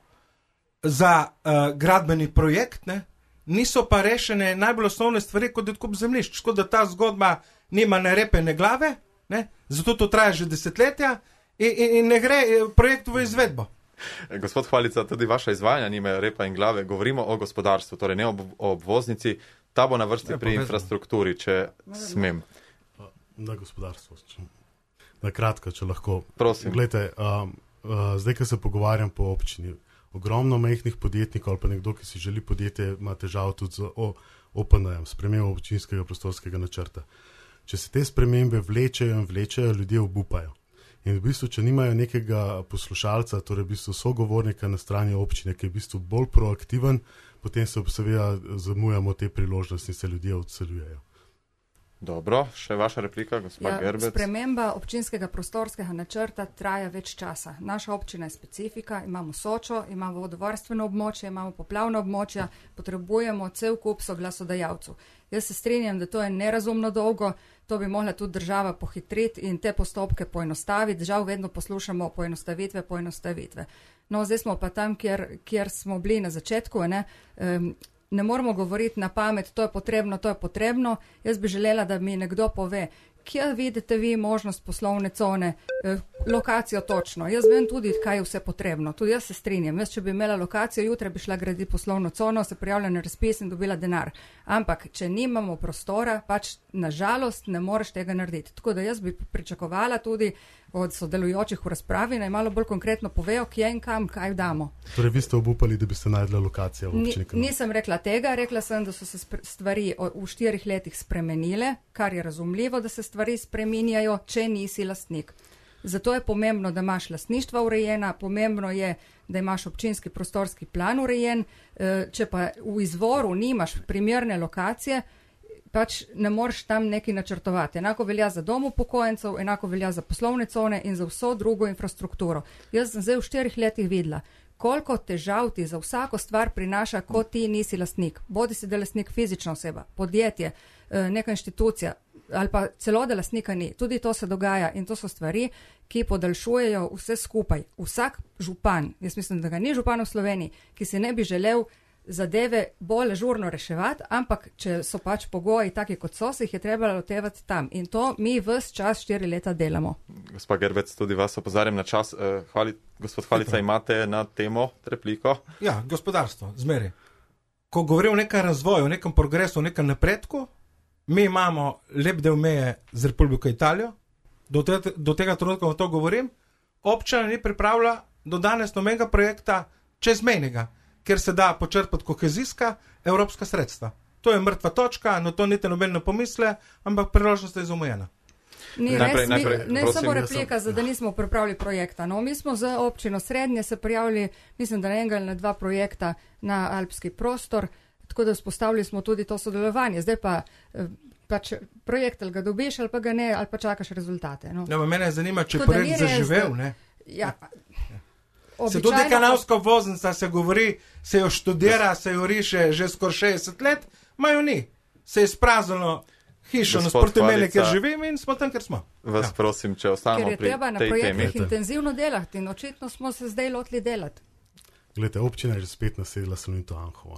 za uh, gradbeni projekt, ne? Niso pa rešene najbolj osnovne stvari, kot je odkup zemljišč, tako da ta zgodba nima ne repe, ne glave, ne? Zato to traja že desetletja in, in, in ne gre projekt v izvedbo. Gospod Hvalica, tudi vaša izvajanja nima repa in glave. Govorimo o gospodarstvu, torej ne o obvoznici. Ta bo na vrsti pri infrastrukturi, če smem. Na gospodarstvo. Na kratko, če lahko. Prosim. Glejte, um, uh, zdaj, ko se pogovarjam po občini, ogromno majhnih podjetnikov ali pa nekdo, ki si želi podjetje, ima težav tudi z O P N-jem, spremembo občinskega prostorskega načrta. Če se te spremembe vlečejo in vlečejo, ljudje obupajo. In v bistvu, če nimajo nekega poslušalca, torej v bistvu sogovornika na strani občine, ki je v bistvu bolj proaktiven, potem se seveda zamujamo te priložnosti in se ljudje odseljujejo. Dobro, še vaša replika, gospod ja, Gerbec. Sprememba občinskega prostorskega načrta traja več časa. Naša občina je specifika, imamo Sočo, imamo vodovarstveno območje, imamo poplavno območje, potrebujemo cel kup soglasodajalcev. Jaz se strinjam, da to je nerazumno dolgo, to bi mogla tudi država pohitriti in te postopke poenostaviti. Žal vedno poslušamo poenostavitve, poenostavitve. No, zdaj smo pa tam, kjer, kjer smo bili na začetku, ne? Um, Ne moramo govoriti na pamet, to je potrebno, to je potrebno. Jaz bi želela, da mi nekdo pove, kje vidite vi možnost poslovne cone, eh, lokacijo točno. Jaz vem tudi, kaj je vse potrebno. Tudi jaz se strinjam. Jaz, če bi imela lokacijo, jutra bi šla graditi poslovno cono, se prijavila na razpis in dobila denar. Ampak, če nimamo prostora, pač nažalost ne moreš tega narediti. Tako da jaz bi pričakovala tudi od sodelujočih v razpravi, naj malo bolj konkretno povejo, kje in kam, kaj damo. Torej, vi ste obupali, da bi se najdla lokacija v občini? Ni, nisem rekla tega, rekla sem, da so se stvari v štirih letih spremenile, kar je razumljivo, da se stvari spreminjajo, če nisi lastnik. Zato je pomembno, da imaš lastništva urejena, pomembno je, da imaš občinski prostorski plan urejen, če pa v izvoru nimaš primerne lokacije, pač ne moreš tam nekaj načrtovati. Enako velja za dom upokojencev, enako velja za poslovne cone in za vso drugo infrastrukturo. Jaz sem zdaj v štirih letih videla, koliko težav ti za vsako stvar prinaša, ko ti nisi lastnik. Bodi si, da lastnik fizična oseba, podjetje, neka inštitucija ali pa celo, da lastnika ni. Tudi to se dogaja in to so stvari, ki podaljšujejo vse skupaj. Vsak župan, jaz mislim, da ga ni župan v Sloveniji, ki si ne bi želel zadeve bolj žurno reševati, ampak če so pač pogoji taki, kot so, se jih je treba lotevati tam. In to mi ves čas štiri leta delamo. Gospa Gerbec, tudi vas opozarjam na čas. Hvali, gospod Hvalica, imate na temo repliko? Ja, gospodarstvo, zmeri. Ko govorim o nekem razvoju, o nekem progresu, o nekem napredku, mi imamo lep del meje z Republiko Italijo, do, te, do tega trenutka vam to govorim, občina ni pripravila do danes nobenega projekta čezmejnega, ker se da počrpati kohezijska evropska sredstva. To je mrtva točka, no to niti noben ne pomisle, ampak priložnost je zamujena. Ni najprej, res, najprej, mi, ne prosim, samo replika, sem... da nismo pripravili projekta. No, mi smo za občino Srednje se prijavili, mislim, da na enega ali na dva projekta na alpski prostor, tako da vzpostavili smo tudi to sodelovanje. Zdaj pa pač projekt ali ga dobiš ali pa ga ne, ali pa čakaš rezultate. No. Ja, mene zanima, če je projekt zaživel, ne? Ja. Običajno... Se tudi kanalska obvoznica se govori, se jo študira, se jo riše že skoraj šestdeset let, majo ni. Se je spraznilo hišo na Sportimeli, kjer živim in smo tam, kjer smo. Vas ja. prosim, če ostanemo pri tej temi. Ker je treba na projektih intenzivno delati in očitno smo se zdaj lotili delati. Glede, občina je že spet nasedla Salonito Anhovo.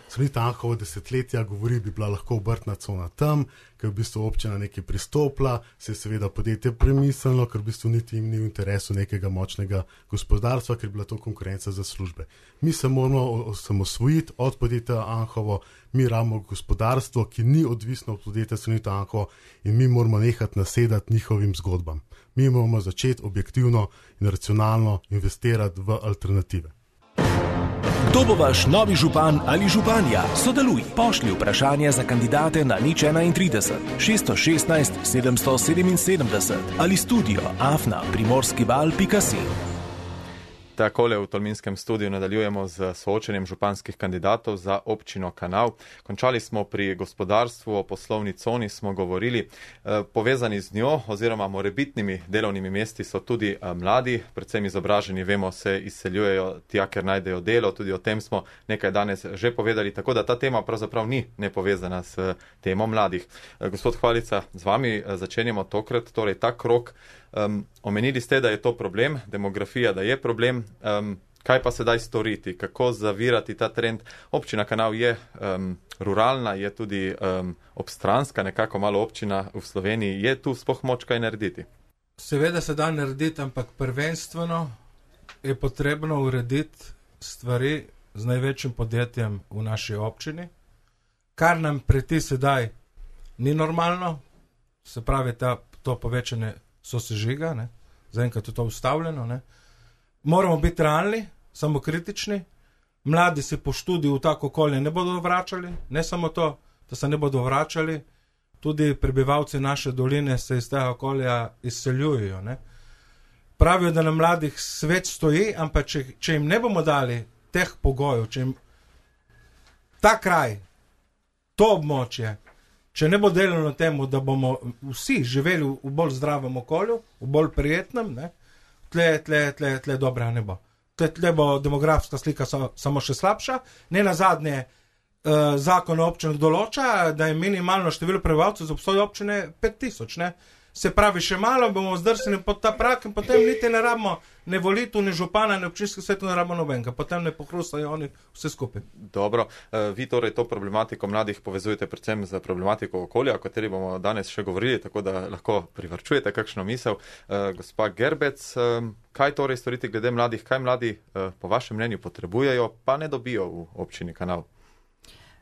Salonito Anhovo desetletja govori, bi bila lahko obrtna cona tam, ker v bistvu občina nekaj pristopila, se je seveda podjetje premislilo, ker v bistvu niti jim ni v interesu nekega močnega gospodarstva, ker je bila to konkurenca za službe. Mi se moramo osamosvojiti od podjetja Anhovo, mi rabimo gospodarstvo, ki ni odvisno od podjetja Salonito Anhovo in mi moramo nehati nasedati njihovim zgodbam. Mi moramo začeti objektivno in racionalno investirati v alternative. Kdo bo vaš novi župan ali županja? Sodeluj, pošlji vprašanje za kandidate na nič enaintrideset šeststo šestnajst sedemsto sedeminsedemdeset ali studio afna primorskival pika si. Takole v Tolminskem studiu nadaljujemo z soočenjem županskih kandidatov za občino Kanal. Končali smo pri gospodarstvu, o poslovni coni smo govorili. Povezani z njo oziroma morebitnimi delovnimi mesti so tudi mladi, predvsem izobraženi, vemo, se izseljujejo tja, ker najdejo delo. Tudi o tem smo nekaj danes že povedali, tako da ta tema pravzaprav ni nepovezana s temo mladih. Gospod Hvalica, z vami začenjamo tokrat, torej ta krok. Um, omenili ste, da je to problem, demografija, da je problem. Um, kaj pa sedaj storiti? Kako zavirati ta trend? Občina Kanal je um, ruralna, je tudi um, obstranska, nekako malo občina v Sloveniji. Je tu sploh moč kaj narediti? Seveda se da narediti, ampak prvenstveno je potrebno urediti stvari z največjim podjetjem v naši občini, kar nam preti sedaj ni normalno, se pravi ta, to povečanje sosežiga, ne? Zaenkrat je to ustavljeno. Ne? Moramo biti realni, samokritični, mladi se po študiju v tako okolje ne bodo vračali, ne samo to, da se ne bodo vračali, tudi prebivalci naše doline se iz tega okolja izseljujejo. Ne? Pravijo, da na mladih svet stoji, ampak če, če jim ne bomo dali teh pogojev, če jim ta kraj, to območje, če ne bo delano temu, da bomo vsi živeli v bolj zdravem okolju, v bolj prijetnem, ne, tle, tle, tle, tle dobra ne bo. Tle, tle bo demografska slika so, samo še slabša. Ne nazadnje eh, zakon o občinah določa, da je minimalno število prebivalcev za obstoj občine pet tisoč, ne. Se pravi, še malo bomo zdrsnili pod ta prak in potem niti ne rabimo ne volitev, ne župana, ne občinski svet, ne rabimo nobenega. Potem ne pohrustajo oni vse skupaj. Dobro. Vi torej to problematiko mladih povezujete predvsem z problematiko okolja, o kateri bomo danes še govorili, tako da lahko privarčujete kakšno misel. Gospa Gerbec, kaj torej storiti glede mladih? Kaj mladi po vašem mnenju potrebujejo, pa ne dobijo v občini Kanal?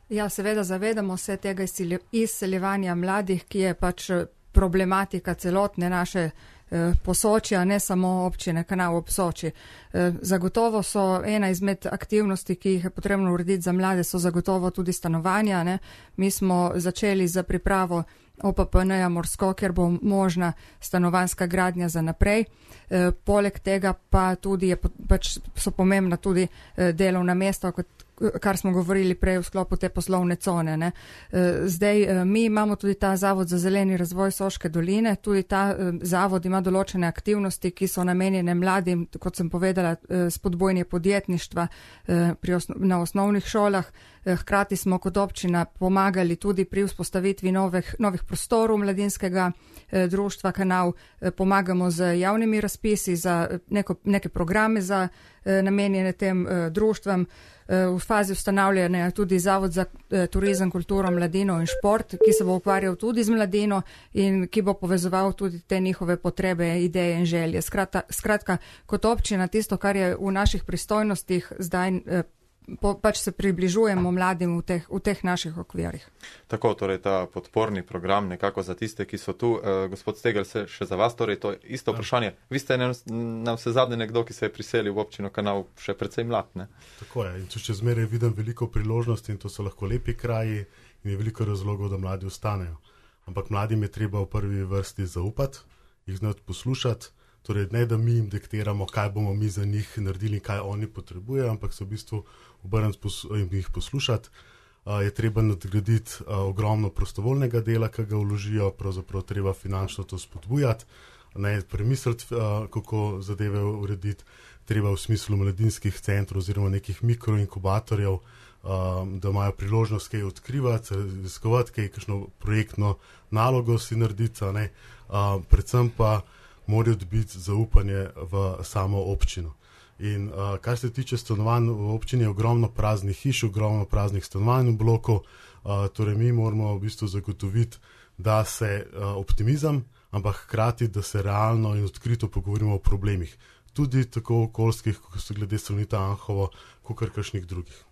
Ja, seveda zavedamo se tega izseljevanja mladih, ki je pač problematika celotne naše eh, Posočja, ne samo občine Kanal ob Soči. Eh, zagotovo so ena izmed aktivnosti, ki jih je potrebno urediti za mlade, so zagotovo tudi stanovanja. Ne? Mi smo začeli za pripravo O P P N-ja Morsko, kjer bo možna stanovanska gradnja za naprej. E, poleg tega pa tudi je, pač so pomembna tudi e, delovna mesta, kot, kar smo govorili prej v sklopu te poslovne cone. Ne. Zdaj, mi imamo tudi ta Zavod za zeleni razvoj Soške doline, tudi ta zavod ima določene aktivnosti, ki so namenjene mladim, kot sem povedala, spodbojanje podjetništva pri osno, na osnovnih šolah. Hkrati smo kot občina pomagali tudi pri vzpostavitvi novih, novih prostorov mladinskega društva Kanal, pomagamo z javnimi razpisi za neko, neke programe za namenjene tem društvam. V fazi ustanavljanja je tudi Zavod za turizem, kulturo, mladino in šport, ki se bo ukvarjal tudi z mladino in ki bo povezoval tudi te njihove potrebe, ideje in želje. Skratka, skratka kot občina, tisto, kar je v naših pristojnostih zdaj, Po, pač se približujemo mladim v teh, v teh naših okvirih. Tako, torej ta podporni program nekako za tiste, ki so tu. E, gospod Stegel, se še za vas, torej to je isto vprašanje. Vi ste nam vse zadnje nekdo, ki se je priselil v občino Kanal, še precej mlad, ne? Tako je. In če zmeraj vidim veliko priložnosti in to so lahko lepi kraji in je veliko razlogov, da mladi ostanejo. Ampak mladim je treba v prvi vrsti zaupati, jih znati poslušati. Torej, ne da mi jim diktiramo, kaj bomo mi za njih naredili in kaj oni potrebujejo, ampak se v bistvu obrniti in jih poslušati. Uh, je treba nadgraditi uh, ogromno prostovoljnega dela, ki ga vložijo, pravzaprav treba finančno to spodbujati, ne premisliti, uh, kako zadeve urediti, treba v smislu mladinskih centrov oziroma nekih mikroinkubatorjev, uh, da imajo priložnost kaj odkrivati, raziskovati, kaj kakšno projektno nalogo si narediti, ne, uh, predvsem pa morajo dobiti zaupanje v samo občino. In uh, kar se tiče stanovanj v občini, je ogromno praznih hiš, ogromno praznih stanovanj v bloku, uh, torej mi moramo v bistvu zagotoviti, da se uh, optimizem, ampak hkrati, da se realno in odkrito pogovorimo o problemih. Tudi tako okoljskih, kot so glede Salonita Anhovo, kot kakšnih drugih.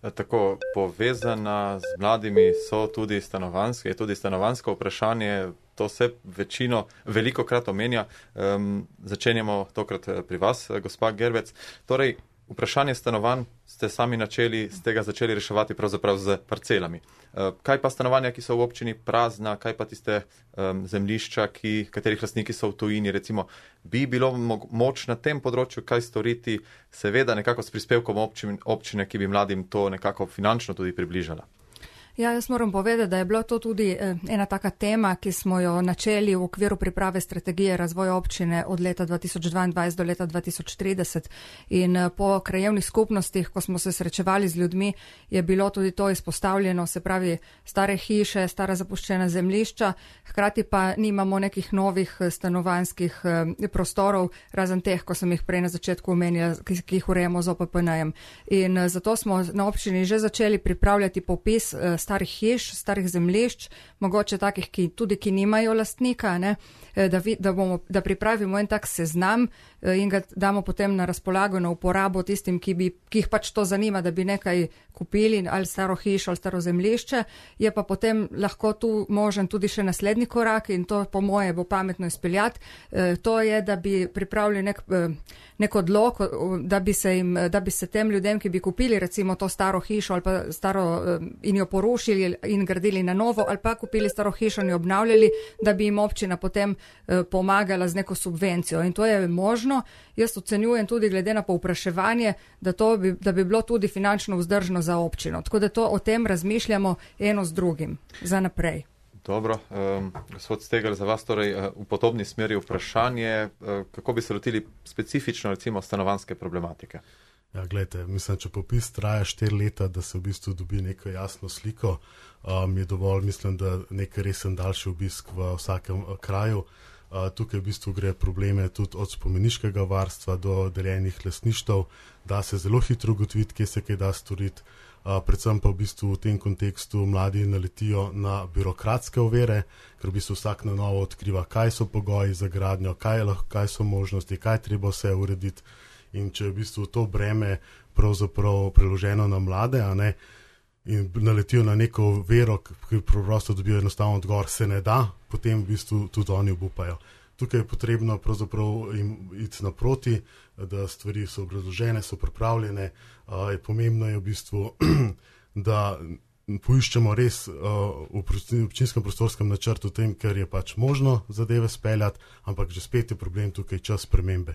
Tako povezana z mladimi so tudi stanovanske, je tudi stanovansko vprašanje, to se večino, veliko krat omenja. Um, začenjamo tokrat pri vas, gospa Gerbec. Torej, vprašanje stanovanj ste sami načeli, ste ga začeli reševati pravzaprav z parcelami. Uh, kaj pa stanovanja, ki so v občini prazna, kaj pa tiste um, zemljišča, ki, katerih lastniki so v tujini, recimo, bi bilo mo- moč na tem področju kaj storiti, seveda nekako s prispevkom občine, občine, ki bi mladim to nekako finančno tudi približala? Ja, jaz moram povedati, da je bila to tudi ena taka tema, ki smo jo načeli v okviru priprave strategije razvoja občine od leta dva tisoč dvaindvajset do leta dva tisoč trideset. In po krajevnih skupnostih, ko smo se srečevali z ljudmi, je bilo tudi to izpostavljeno, se pravi stare hiše, stara zapuščena zemljišča, hkrati pa nimamo nekih novih stanovanjskih prostorov, razen teh, ko sem jih prej na začetku omenila, ki, ki jih urejamo z O P P N-jem. In zato smo na občini že začeli pripravljati popis starih hiš, starih zemljišč, mogoče takih, ki tudi ki nimajo lastnika, ne, da, vi, da, bomo, da pripravimo en tak seznam in ga damo potem na razpolago, na uporabo tistim, ki, bi, ki jih pač to zanima, da bi nekaj kupili, ali staro hišo, ali staro zemljišče. Je pa potem lahko tu možen tudi še naslednji korak in to po moje bo pametno izpeljati. To je, da bi pripravili nek, nek odlok, da bi, se jim, da bi se tem ljudem, ki bi kupili recimo to staro hišo ali pa staro in jo porušili in gradili na novo ali pa kupili staro hišo in jo obnavljali, da bi jim občina potem pomagala z neko subvencijo. In to je možno. Jaz ocenjujem tudi glede na povpraševanje, da, to bi, da bi bilo tudi finančno vzdržno za občino. Tako da to o tem razmišljamo eno z drugim za naprej. Dobro, um, gospod Stegel, za vas torej v podobni smeri vprašanje, uh, kako bi se lotili specifično recimo stanovanjske problematike? Ja, gledajte, mislim, če popis traja štiri leta, da se v bistvu dobi neko jasno sliko, um, je dovolj, mislim, da nekaj resen daljši obisk v vsakem uh, kraju. Uh, tukaj v bistvu gre probleme tudi od spomeniškega varstva do deljenih lastništev, da se zelo hitro ugotoviti, kje se kaj da storiti. Uh, predvsem pa v bistvu v tem kontekstu mladi naletijo na birokratske ovire, ker v bistvu vsak na novo odkriva, kaj so pogoji za gradnjo, kaj, kaj so možnosti, kaj treba vse urediti. In če je v bistvu to breme pravzaprav preloženo na mlade, a ne, in naletijo na neko vero, ki preprosto dobijo enostavno odgovor, se ne da, potem v bistvu tudi oni obupajo. Tukaj je potrebno pravzaprav jim iti naproti, da stvari so obrazložene, so pripravljene. Uh, je pomembno je v bistvu, da poiščemo res uh, v občinskem prostorskem načrtu tem, ker je pač možno zadeve speljati, ampak že spet je problem tukaj čas spremembe.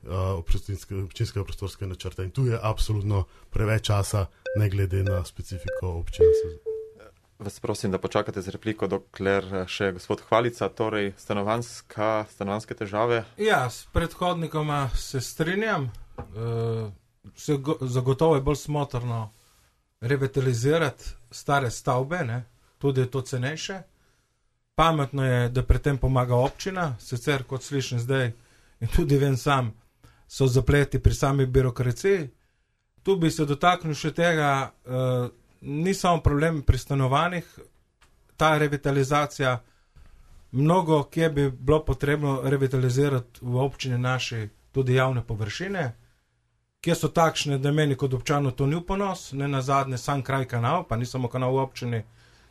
občinskega prostorskega načrta. In tu je absolutno preveč časa, ne glede na specifiko občine. Vas prosim, da počakate z repliko, dokler še gospod Hvalica, torej stanovanska, stanovanske težave. Ja, s predhodnikoma se strinjam. Uh, se go, zagotovo je bolj smotrno revitalizirati stare stavbe, ne? Tudi je to cenejše. Pametno je, da pri tem pomaga občina, sicer kot slišim zdaj in tudi vem sam, so zapleti pri sami birokraciji. Tu bi se dotaknil še tega, uh, ni samo problem pri stanovanjih, ta revitalizacija, mnogo kje bi bilo potrebno revitalizirati v občini naši tudi javne površine, kje so takšne, da meni kot občanu to ni v ponos, ne nazadnje sam kraj kanal, pa ni samo kanal v občini,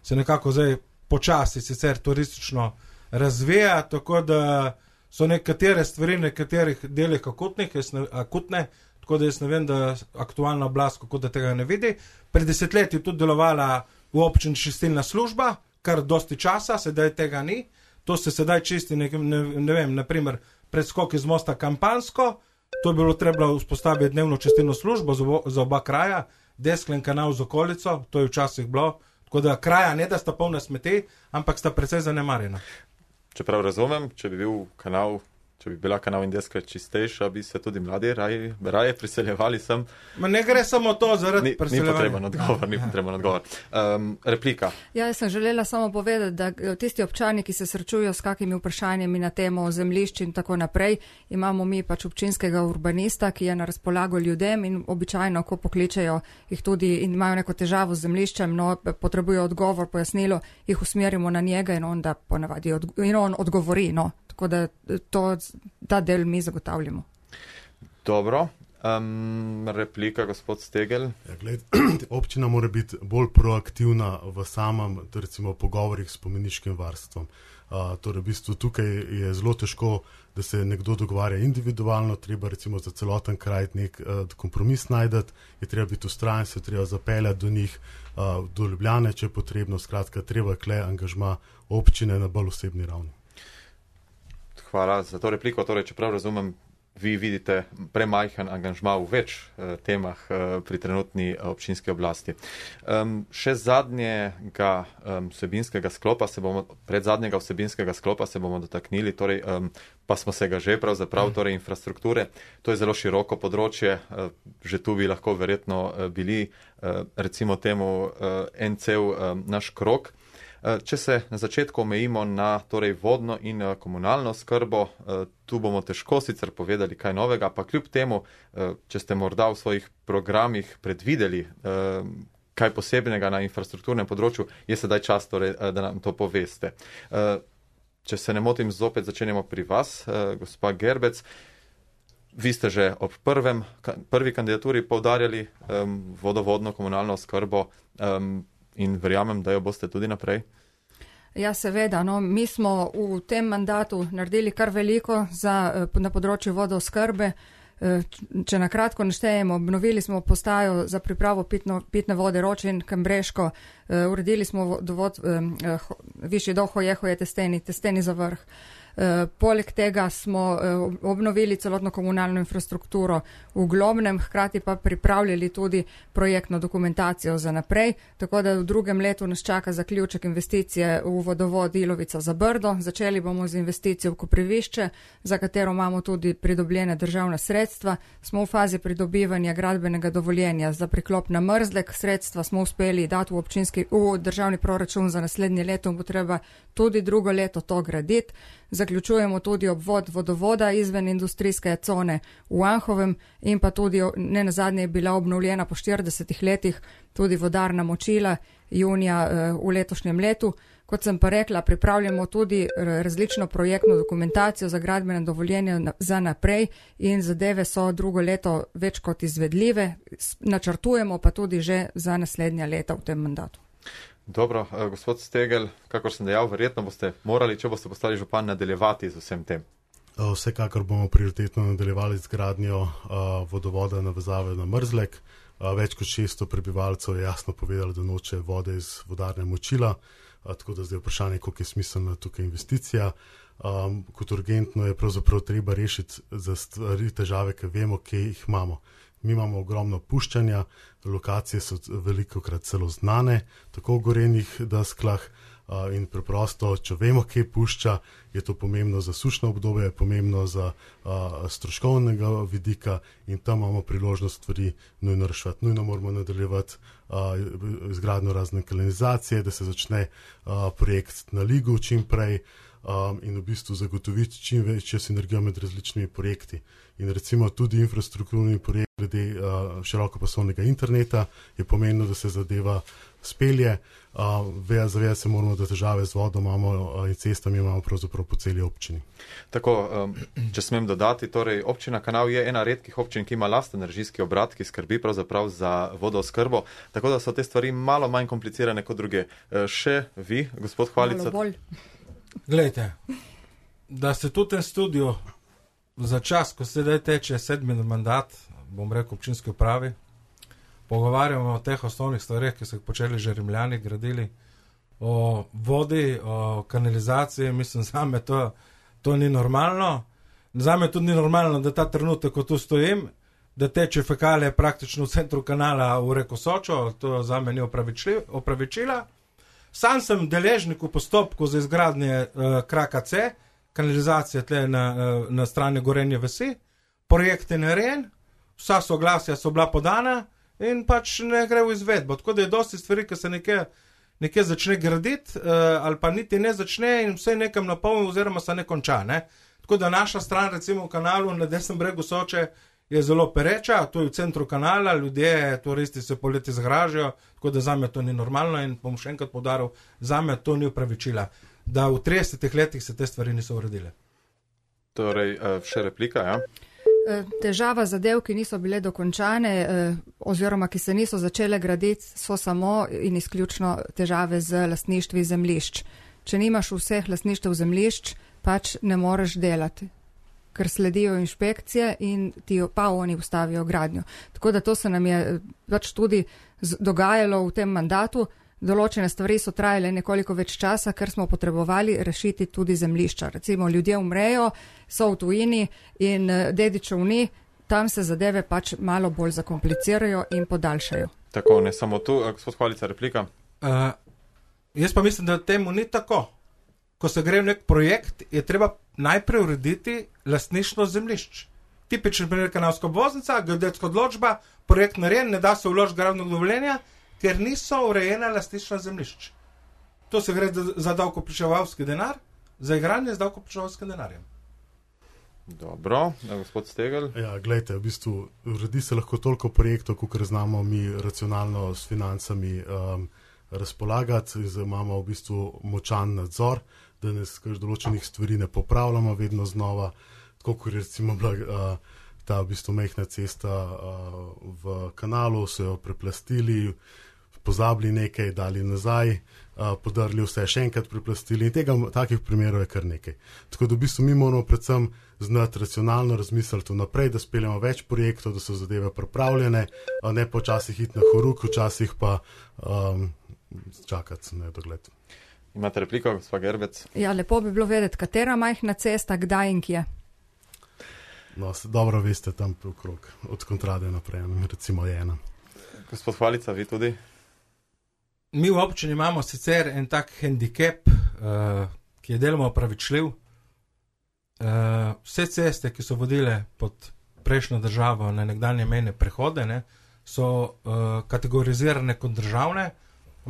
se nekako zdaj počasi sicer turistično razvija, tako da so nekatere stvari, nekaterih delih akutnih, ne, akutne, tako da jaz ne vem, da aktualna oblast kako da tega ne vidi. Pred desetletji je tudi delovala v občini čistilna služba, kar dosti časa, sedaj tega ni. To se sedaj čisti, ne, ne, ne vem, naprimer predskok iz mosta Kampansko, to je bilo treba vzpostaviti dnevno čistilno službo za, za oba kraja, Desklen kanal z okolico, to je včasih bilo, tako da kraja ne da sta polna smeti, ampak sta precej zanemarjena. Čeprav razumem, če bi bil kanal, če bi bila kanal in Deskle čistejša, bi se tudi mladi raje, raje priseljevali sem. Ma ne gre samo to zaradi ni, priseljevanja. Ni potreben odgovor, ni potreben odgovor. Um, replika. Ja, jaz sem želela samo povedati, da tisti občani, ki se srečujo s kakimi vprašanjami na temo zemljišč in tako naprej, imamo mi pač občinskega urbanista, ki je na razpolago ljudem in običajno, ko pokličejo jih tudi in imajo neko težavo z zemljiščem, no, potrebujo odgovor, pojasnilo, jih usmerimo na njega in on, da ponavadi odgo- in on odgovori, no. Tako da to, ta del mi zagotavljamo. Dobro. Um, replika, gospod Stegel. Ja, gled, občina mora biti bolj proaktivna v samem, recimo, pogovorih s spomeniškim varstvom. Uh, torej, v bistvu tukaj je zelo težko, da se nekdo dogovarja individualno, treba recimo za celoten kraj nek uh, kompromis najdeti, je treba biti ustrajen, se treba zapeljati do njih, uh, do Ljubljane, če je potrebno, skratka, treba kle angažma občine na bolj osebni ravni. Hvala za to repliko. Torej, čeprav razumem, vi vidite premajhen angažma v več eh, temah eh, pri trenutni eh, občinski oblasti. Um, še zadnjega um, vsebinskega sklopa se bomo, pred zadnjega vsebinskega sklopa se bomo dotaknili, torej, um, pa smo se ga že pravzaprav, torej infrastrukture. To je zelo široko področje, eh, že tu bi lahko verjetno eh, bili, eh, recimo temu, eh, en cel eh, naš krok. Če se na začetku omejimo na torej vodno in komunalno skrbo, tu bomo težko sicer povedali kaj novega, pa kljub temu, če ste morda v svojih programih predvideli kaj posebnega na infrastrukturnem področju, je sedaj čas, torej, da nam to poveste. Če se ne motim, zopet začenjamo pri vas, gospa Gerbec. Vi ste že ob prvem, prvi kandidaturi poudarjali vodovodno komunalno skrbo, in verjamem, da jo boste tudi naprej. Ja, seveda. No, mi smo v tem mandatu naredili kar veliko za, na področju vodoskrbe. Če na kratko naštejemo, obnovili smo postajo za pripravo pitno, pitne vode Ročin, Kambreško, uredili smo dovod, višji do Hojehoje, Testeni, Testeni za vrh. Uh, poleg tega smo uh, obnovili celotno komunalno infrastrukturo v Globnem, hkrati pa pripravljali tudi projektno dokumentacijo za naprej, tako da v drugem letu nas čaka zaključek investicije v vodovod Ilovica za Brdo. Začeli bomo z investicijo v Koprivišče, za katero imamo tudi pridobljene državna sredstva. Smo v fazi pridobivanja gradbenega dovoljenja za priklop na Mrzlek. Sredstva smo uspeli dati v, občinski, v državni proračun za naslednje leto, bo treba tudi drugo leto to graditi. Zaključujemo tudi obvod vodovoda izven industrijske cone v Anhovem in pa tudi ne nazadnje je bila obnovljena po štiridesetih letih tudi vodarna Močila junija v letošnjem letu. Kot sem pa rekla, pripravljamo tudi različno projektno dokumentacijo za gradbene dovoljenja za naprej in zadeve so drugo leto več kot izvedljive. Načrtujemo pa tudi že za naslednja leta v tem mandatu. Dobro, gospod Stegel, kakor sem dejal, verjetno boste morali, če boste postali župan, nadaljevati z vsem tem. Vsekakor bomo prioritetno nadaljevali z gradnjo uh, vodovoda navezave na Mrzlek. Uh, več kot šeststo prebivalcev je jasno povedalo, da noče vode iz vodarne Močila. a, tako da zdaj vprašanje, koliko je smiselna tukaj investicija. Um, kot urgentno je pravzaprav treba rešiti za stvari, težave, ki vemo, kje jih imamo. Mi imamo ogromno puščanja, lokacije so velikokrat celo znane, tako v gorenih desklah, uh, in preprosto, če vemo, kje pušča, je to pomembno za sušno obdobje, je pomembno za uh, stroškovnega vidika in tam imamo priložnost stvari nujno reševati. Nujno moramo nadaljevati uh, izgradnjo razne kanalizacije, da se začne uh, projekt na Ligu čim prej, Um, in v bistvu zagotoviti čim večjo sinergijo med različnimi projekti. In recimo tudi infrastrukturni projekt glede uh, širokopasovnega interneta je pomenilo, da se zadeva spelje. Uh, Zavedati se moramo, da težave z vodo imamo uh, in cestami imamo pravzaprav po celi občini. Tako, um, če smem dodati, torej občina Kanal je ena redkih občin, ki ima lasten režijski obrat, ki skrbi pravzaprav za vodooskrbo, tako da so te stvari malo manj komplicirane kot druge. Uh, še vi, gospod Hvalica? Malo bolj. Glejte, da se tudi ten studio za čas, ko se daj teče sedmi mandat, bom rekel občinski upravi, pogovarjamo o teh osnovnih stvareh, ki so jih počeli že Rimljani, gradili, o vodi, o kanalizaciji, mislim, zame to, to ni normalno. Zame tudi ni normalno, da ta trenutek, ko tu stojim, da teče fekalije praktično v centru kanala v reko Sočo, to zame ni opravičila. Sam sem deležnik v postopku za izgradnje uh, kraka C, kanalizacije tle na, uh, na strani Gorenje vasi, projekt je narejen, vsa soglasja so bila podana in pač ne gre v izvedbo. Tako da je dosti stvari, ki se nekje, nekje začne graditi, uh, ali pa niti ne začne in vse nekam napolni oziroma se ne konča. Ne? Tako da naša stran, recimo v kanalu na desnem bregu Soče, je zelo pereča, to je v centru kanala, ljudje, turisti se poleti zgražajo, tako da zame to ni normalno in bom še enkrat poudaril, zame to ni upravičila, da v tridesetih letih se te stvari niso uredile. Torej, še replika, ja? Težava zadev, ki niso bile dokončane oziroma ki se niso začele graditi, so samo in izključno težave z lastništvi zemljišč. Če nimaš vseh lastništev zemljišč, pač ne moreš delati, ker sledijo inšpekcije in ti pa oni ustavijo gradnjo. Tako da to se nam je pač tudi dogajalo v tem mandatu. Določene stvari so trajale nekoliko več časa, ker smo potrebovali rešiti tudi zemljišča. Recimo ljudje umrejo, so v tujini in dedičev ni, tam se zadeve pač malo bolj zakomplicirajo in podaljšajo. Tako, ne samo tu, gospod Hvalica, replika. Uh, jaz pa mislim, da temu ni tako. Ko se gre v nek projekt, je treba najprej urediti lastništvo zemljišč. Tipičen primer kanalska obvoznica, geodetska odločba, projekt narejen, ne da se vložiti gradbenega dovoljenja, ker niso urejena lastništva zemljišč. To se gre za davkoplačevalski denar, za igranje z davkoplačevalskim denarjem. Dobro, da, gospod Stegel. Ja, gledajte, v bistvu uredi se lahko toliko projektov, kolikor znamo mi racionalno s financami um, razpolagati, imamo v bistvu močan nadzor, da ne skrž določenih stvari ne popravljamo vedno znova, tako kot recimo bila uh, ta v bistvu mehna cesta uh, v kanalu, so jo preplastili, pozabili nekaj, dali nazaj, uh, podarili vse, še enkrat preplastili in tega, takih primerov je kar nekaj. Tako da v bistvu mi moramo predvsem znati racionalno razmisliti vnaprej, da speljamo več projektov, da so zadeve pripravljene, a ne počasih iti na horuk, včasih pa um, čakati na dogled. Imate repliko, gospod Gerbec? Ja, lepo bi bilo vedeti, katera majhna cesta, kdaj in kje. No, dobro veste tam okrog, od Kontrade naprej, recimo je ena. Gospod Hvalica, vi tudi? Mi v občini imamo sicer en tak handicap, uh, ki je deloma opravičljiv. Uh, vse ceste, ki so vodile pod prejšnjo državo na nekdanje mejne prehode, ne, so uh, kategorizirane kot državne,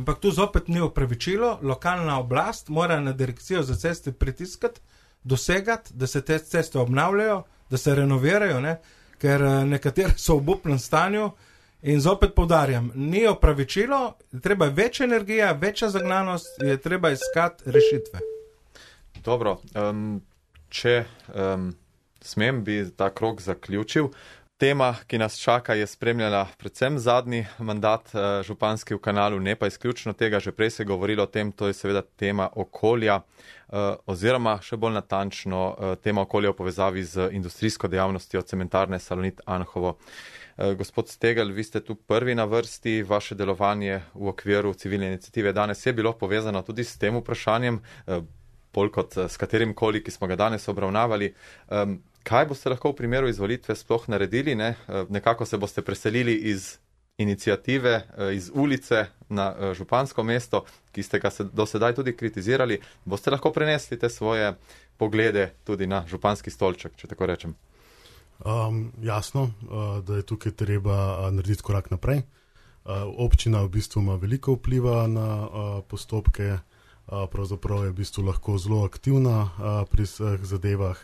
ampak tu zopet ni opravičilo. Lokalna oblast mora na direkcijo za ceste pritiskati, dosegati, da se te ceste obnavljajo, da se renovirajo, ne, ker uh, nekatere so v obupnem stanju. In zopet povdarjam, ni opravičilo, treba več energija, večja zagnanost, je treba iskati rešitve. Dobro, um, če um, smem, bi ta krog zaključil. Tema, ki nas čaka, je spremljala predvsem zadnji mandat županski v Kanalu, ne pa izključno tega, že prej se je govorilo o tem, to je seveda tema okolja, oziroma še bolj natančno tema okolja v povezavi z industrijsko dejavnostjo cementarne Salonit Anhovo. Gospod Stegel, vi ste tu prvi na vrsti, vaše delovanje v okviru civilne iniciative danes je bilo povezano tudi s tem vprašanjem, bolj kot s katerim koli, ki smo ga danes obravnavali. Kaj boste lahko v primeru izvolitve sploh naredili? Ne? Nekako se boste preselili iz iniciative, iz ulice na župansko mesto, ki ste ga do sedaj tudi kritizirali. Boste lahko prenesli te svoje poglede tudi na županski stolček, če tako rečem? Um, jasno, uh, da je tukaj treba uh, narediti korak naprej. Uh, občina v bistvu ima veliko vpliva na uh, postopke, uh, pravzaprav je v bistvu lahko zelo aktivna uh, pri vseh zadevah.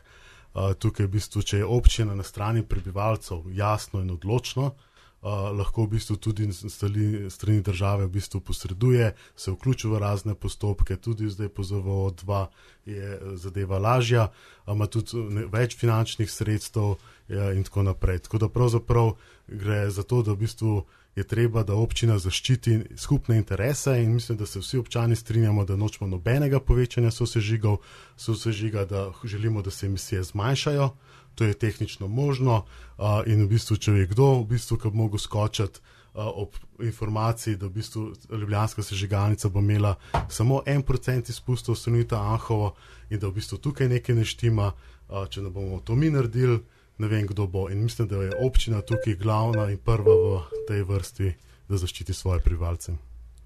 Uh, tukaj v bistvu, če je občina na strani prebivalcev jasno in odločno, uh, lahko v bistvu tudi stali, strani države v bistvu posreduje, se vključi v razne postopke, tudi zdaj po Z V O dva je zadeva lažja, ima tudi ne, več finančnih sredstev ja, in tako naprej. Tako da pravzaprav gre za to, da v bistvu je treba, da občina zaščiti skupne interese in mislim, da se vsi občani strinjamo, da nočemo nobenega povečanja sosežigov, sosežiga, da želimo, da se emisije zmanjšajo, to je tehnično možno uh, in v bistvu, če je kdo, v bistvu, ki bi mogel skočiti uh, ob informaciji, da v bistvu ljubljanska sežigalnica bo imela samo en procent izpustov Salonita Anhovo in da v bistvu tukaj nekaj ne štima, uh, če ne bomo to mi naredili, ne vem, kdo bo. In mislim, da je občina tukaj glavna in prva v tej vrsti, da zaščiti svoje prebivalce.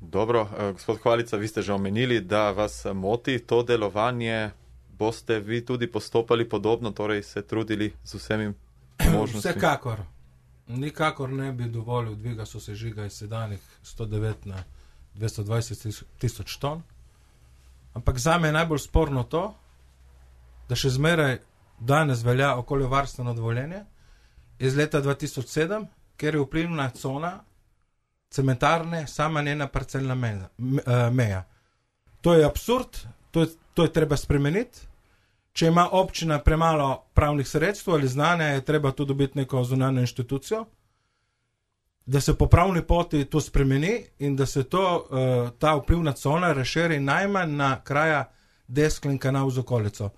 Dobro, gospod Hvalica, vi ste že omenili, da vas moti to delovanje. Boste vi tudi postopali podobno, torej se trudili z vsemi možnostmi? Vsekakor. Nikakor ne bi dovolil dviga sosežiga iz sedanjih sto devet na dvesto dvajset tisoč ton. Ampak zame je najbolj sporno to, da še zmeraj danes velja okoljevarstveno dovoljenje iz leta dva tisoč sedem, ker je vplivna cona cementarne sama njena parcelna meja. To je absurd, to je, to je treba spremeniti. Če ima občina premalo pravnih sredstev ali znanja, je treba tu dobiti neko zunanjo inštitucijo, da se po pravni poti to spremeni in da se to, ta vplivna cona razširi najmanj na kraja Desklen kanal z okolico.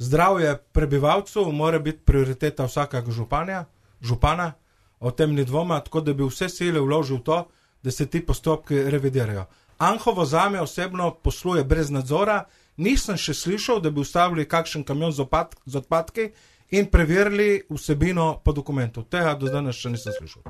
Zdravje prebivalcev mora biti prioriteta vsakega županja, župana, o tem ni dvoma, tako da bi vse sile vložil v to, da se ti postopki revidirajo. Anhovo zame osebno posluje brez nadzora, nisem še slišal, da bi ustavili kakšen kamion z, opad, z odpadki in preverili vsebino po dokumentu. Tega do danes še nisem slišal.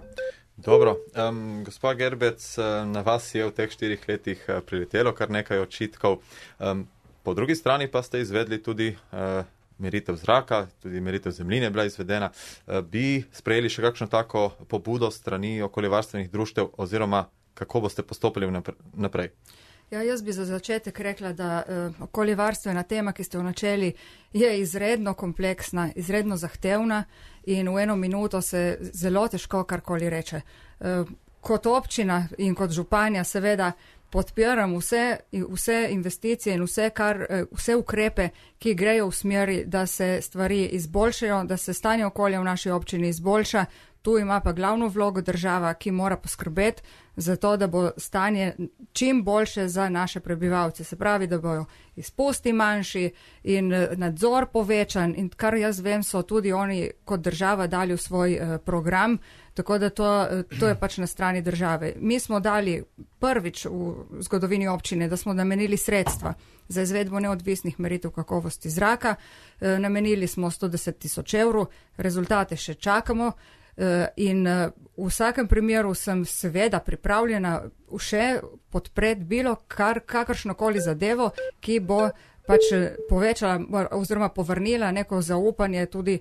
Dobro, um, gospa Gerbec, na vas je v teh štirih letih priletelo kar nekaj očitkov. Um, Po drugi strani pa ste izvedli tudi uh, meritev zraka, tudi meritev zemljine je bila izvedena. Uh, bi sprejeli še kakšno tako pobudo strani okoljevarstvenih društev oziroma kako boste postopili naprej? Ja, jaz bi za začetek rekla, da uh, okoljevarstvena tema, ki ste jo načeli, je izredno kompleksna, izredno zahtevna in v eno minuto se zelo težko karkoli reče. Uh, kot občina in kot županja seveda podpiram vse, vse investicije in vse, kar, vse ukrepe, ki grejo v smeri, da se stvari izboljšajo, da se stanje okolja v naši občini izboljša. Tu ima pa glavno vlogo država, ki mora poskrbeti za to, da bo stanje čim boljše za naše prebivalce. Se pravi, da bojo izpusti manjši in nadzor povečan in kar jaz vem, so tudi oni kot država dali v svoj uh, program, tako da to, to je pač na strani države. Mi smo dali prvič v zgodovini občine, da smo namenili sredstva za izvedbo neodvisnih meritev kakovosti zraka. E, namenili smo sto deset tisoč evrov, rezultate še čakamo. In v vsakem primeru sem seveda pripravljena še podpreti bilo kar, kakršnokoli zadevo, ki bo pač povečala oziroma povrnila neko zaupanje tudi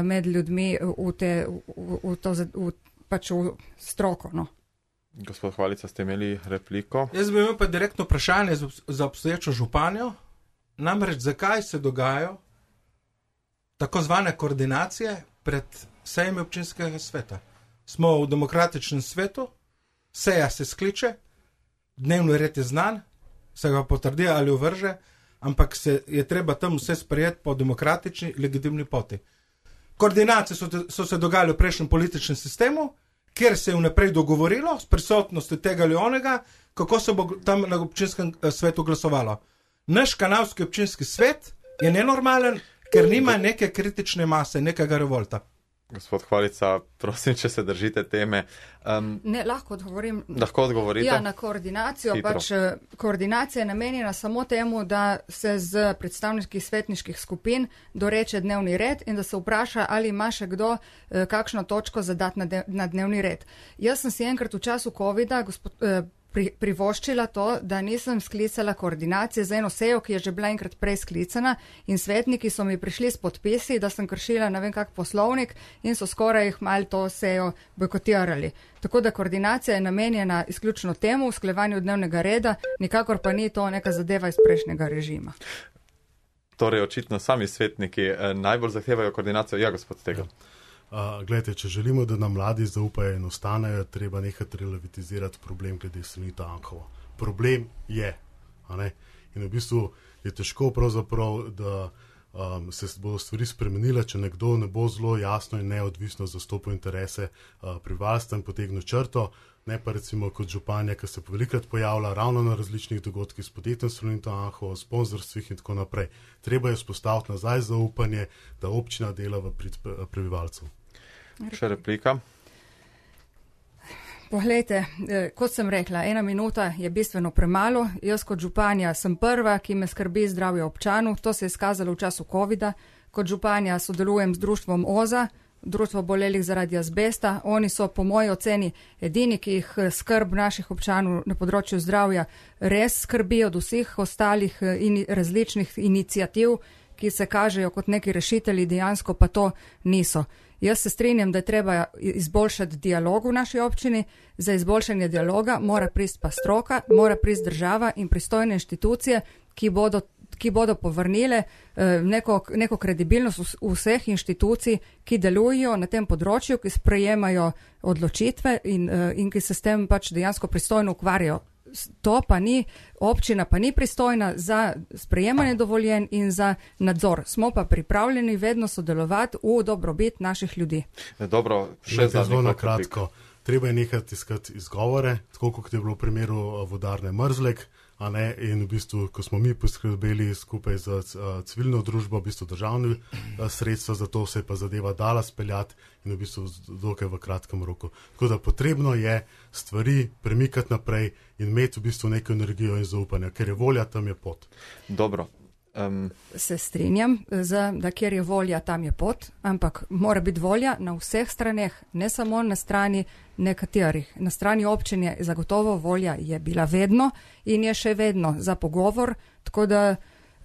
med ljudmi v, te, v, v, to, v, pač v stroko. No. Gospod Hvalica, ste imeli repliko? Jaz bi imel pa direktno vprašanje za obstoječo županjo. Namreč, zakaj se dogajajo tako zvane koordinacije pred sejmi občinskega sveta. Smo v demokratičnem svetu, seja se skliče, dnevni red je znan, se ga potrdi ali uvrže, ampak se je treba tam vse sprejeti po demokratični, legitimni poti. Koordinacije so, te, so se dogajale v prejšnjem političnem sistemu, kjer se je vnaprej dogovorilo s prisotnostjo tega ali onega, kako se bo tam na občinskem svetu glasovalo. Naš kanalski občinski svet je nenormalen, ker nima neke kritične mase, nekega revolta. Gospod Hvalica, prosim, če se držite teme. Um, ne, lahko odgovorim. Lahko odgovorite? Ja, na koordinacijo. Hitro. Pač koordinacija je namenjena samo temu, da se z predstavniških svetniških skupin doreče dnevni red in da se vpraša, ali ima še kdo eh, kakšno točko zadati na, de, na dnevni red. Jaz sem si enkrat v času covida gospod, eh, pri, privoščila to, da nisem sklicala koordinacije za eno sejo, ki je že bila enkrat prej sklicana in svetniki so mi prišli s podpisi, da sem kršila ne vem kak poslovnik in so skoraj jih malo to sejo bojkotirali. Tako da koordinacija je namenjena izključno temu, usklajevanju dnevnega reda, nikakor pa ni to neka zadeva iz prejšnjega režima. Torej, očitno sami svetniki eh, najbolj zahtevajo koordinacijo. Ja, gospod Stegelj. Uh, Glejte, če želimo, da nam mladi zaupajo in ostanejo, treba nekaj relativizirati problem glede Salonita Anhovo. Problem je, a ne? In v bistvu je težko pravzaprav, da um, se bodo stvari spremenile, če nekdo ne bo zelo jasno in neodvisno zastopil interese uh, prebivalstva in potegnil črto, ne pa recimo kot županja, ki se velikrat pojavlja ravno na različnih dogodkih s podjetjem Salonita Anhovo, sponzorstvih in tako naprej. Treba je vzpostaviti nazaj zaupanje, da občina dela v prid prebivalcev. Še replika. Poglejte, kot sem rekla, ena minuta je bistveno premalo. Jaz kot županja sem prva, ki me skrbi zdravje občanov. To se je izkazalo v času covida. Kot županja sodelujem z društvom OZA, društvo bolelih zaradi azbesta. Oni so po moji oceni edini, ki jih skrb naših občanov na področju zdravja res skrbi od vseh ostalih in različnih inicijativ, ki se kažejo kot neki rešitelji, dejansko pa to niso. Jaz se strinjam, da je treba izboljšati dialog v naši občini. Za izboljšanje dialoga mora prist pa stroka, mora prist država in pristojne inštitucije, ki bodo, ki bodo povrnile eh, neko, neko kredibilnost vseh inštitucij, ki delujejo na tem področju, ki sprejemajo odločitve in, eh, in ki se s tem pač dejansko pristojno ukvarjajo. To pa ni, občina pa ni pristojna za sprejemanje dovoljenj in za nadzor. Smo pa pripravljeni vedno sodelovati v dobrobit naših ljudi. Dobro, še zelo na kratko. Treba je nekaj iskati izgovore, tako kot je bilo v primeru vodarne Mrzlek, a ne, in v bistvu, ko smo mi poskrbeli skupaj z uh, civilno družbo, v bistvu državne uh, sredstva, za to se je pa zadeva dala speljati in v bistvu dokaj v kratkem roku. Tako da potrebno je stvari premikati naprej in imeti v bistvu neko energijo in zaupanje, ker je volja, tam je pot. Dobro. Um. Se strinjam, za, da kjer je volja, tam je pot, ampak mora biti volja na vseh straneh, ne samo na strani nekaterih. Na strani občine zagotovo volja je bila vedno in je še vedno za pogovor, tako da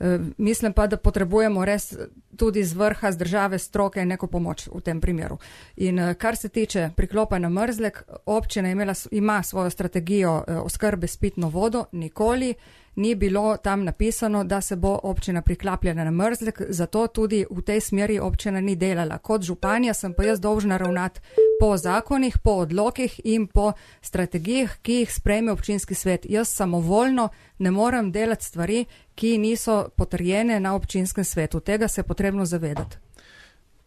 eh, mislim pa, da potrebujemo res tudi z vrha, z države, stroke neko pomoč v tem primeru. In eh, kar se tiče priklopa na Mrzlek, občina imela, ima svojo strategijo eh, oskrbe s pitno vodo, nikoli ni bilo tam napisano, da se bo občina priklapljala na Mrzlek, zato tudi v tej smeri občina ni delala. Kot županja sem pa jaz dolžna ravnati po zakonih, po odlokih in po strategijah, ki jih sprejme občinski svet. Jaz samovoljno ne morem delati stvari, ki niso potrjene na občinskem svetu. Tega se je potrebno zavedati.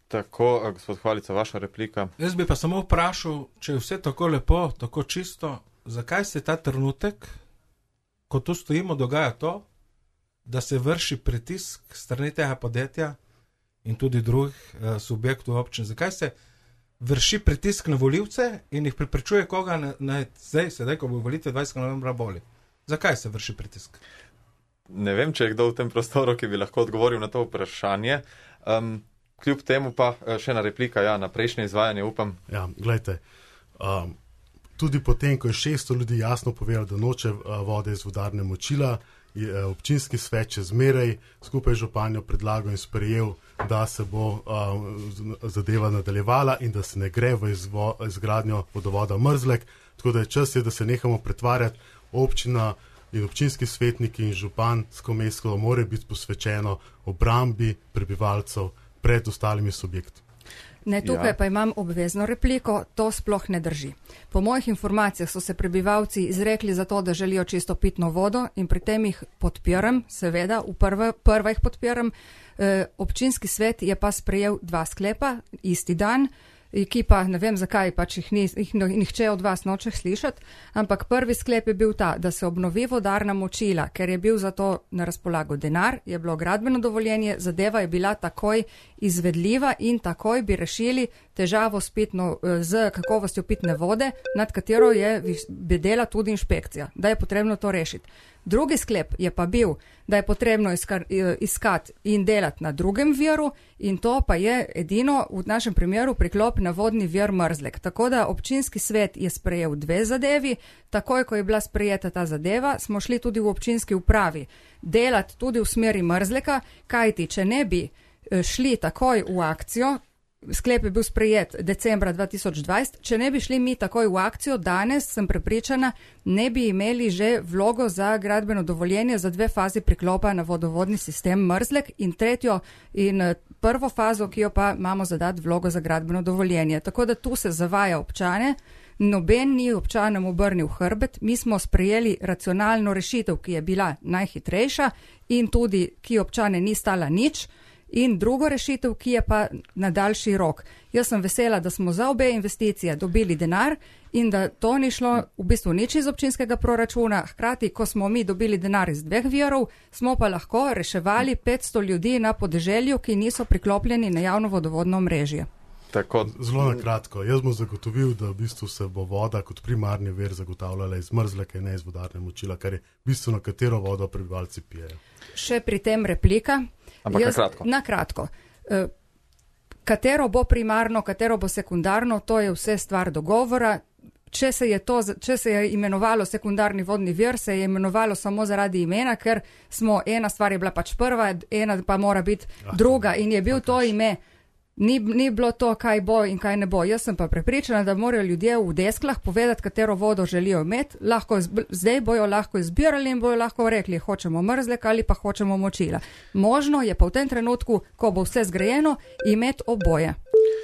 Tako, gospod Hvalica, vaša replika. Jaz bi pa samo vprašal, če je vse tako lepo, tako čisto, zakaj se ta trenutek, ko tu stojimo, dogaja to, da se vrši pritisk strani tega podjetja in tudi drugih uh, subjektov občin. Zakaj se vrši pritisk na volivce in jih preprečuje koga na, na zdaj, sedaj, ko bo volitve dvajsetega novembra boli? Zakaj se vrši pritisk? Ne vem, če je kdo v tem prostoru, ki bi lahko odgovoril na to vprašanje. Um, kljub temu pa še ena replika, ja, na prejšnje izvajanje, upam. Ja, gledajte, um, tudi potem, ko je šeststo ljudi jasno povedalo, da noče vode iz vodarne močila, je občinski svet še zmeraj skupaj z županjo predlagal in sprejel, da se bo uh, zadeva nadaljevala in da se ne gre v izvo, izgradnjo vodovoda Mrzlek. Tako da je čas, je, da se nehamo pretvarjati. Občina in občinski svetniki in župansko mesto mora biti posvečeno obrambi prebivalcev pred ostalimi subjekti. Ne, tukaj Ja. pa imam obvezno repliko, to sploh ne drži. Po mojih informacijah so se prebivalci izrekli za to, da želijo čisto pitno vodo in pri tem jih podpiram, seveda, v prva, prva jih podpiram. E, občinski svet je pa sprejel dva sklepa isti dan, ki pa ne vem zakaj, pač jih, ni, jih nihče od vas noče slišati, ampak prvi sklep je bil ta, da se obnovi vodarna močila, ker je bil za to na razpolago denar, je bilo gradbeno dovoljenje, zadeva je bila takoj izvedljiva in takoj bi rešili težavo s, pitno, z kakovostjo pitne vode, nad katero je bedela tudi inšpekcija, da je potrebno to rešiti. Drugi sklep je pa bil, da je potrebno iskati in delati na drugem viru in to pa je edino v našem primeru priklop na vodni vir Mrzlek. Tako da občinski svet je sprejel dve zadevi, takoj ko je bila sprejeta ta zadeva, smo šli tudi v občinski upravi delati tudi v smeri Mrzleka, kajti če ne bi šli takoj v akcijo, sklep je bil sprejet decembra dva tisoč dvajset, če ne bi šli mi takoj v akcijo, danes sem prepričana, ne bi imeli že vlogo za gradbeno dovoljenje za dve fazi priklopa na vodovodni sistem Mrzlek in tretjo in prvo fazo, ki jo pa imamo zadati vlogo za gradbeno dovoljenje. Tako da tu se zavaja občane, noben ni občanom obrnil hrbet, mi smo sprejeli racionalno rešitev, ki je bila najhitrejša in tudi, ki občane ni stala nič, in drugo rešitev, ki je pa na daljši rok. Jaz sem vesela, da smo za obe investicije dobili denar in da to ni šlo v bistvu nič iz občinskega proračuna. Hkrati, ko smo mi dobili denar iz dveh virov, smo pa lahko reševali petsto ljudi na podeželju, ki niso priklopljeni na javno vodovodno omrežje. Tako. Zelo na kratko. Jaz bom zagotovil, da v bistvu se bo voda kot primarni vir zagotavljala iz Mrzleka in ne iz vodarne močila, kar je bistveno, katero vodo prebivalci pijejo. Še pri tem replika. Ampak Jaz, na kratko. Na kratko. E, katero bo primarno, katero bo sekundarno, to je vse stvar dogovora. Če se je, to, če se je imenovalo sekundarni vodni vir, se je imenovalo samo zaradi imena, ker smo, ena stvar je bila pač prva, ena pa mora biti druga in je bil to ime. Ni, ni bilo to, kaj bo in kaj ne bo. Jaz sem pa prepričana, da morajo ljudje v desklah povedati, katero vodo želijo imeti. Lahko, zdaj bojo lahko izbirali in bojo lahko rekli, hočemo Mrzlek ali pa hočemo močila. Možno je pa v tem trenutku, ko bo vse zgrajeno, imeti oboje.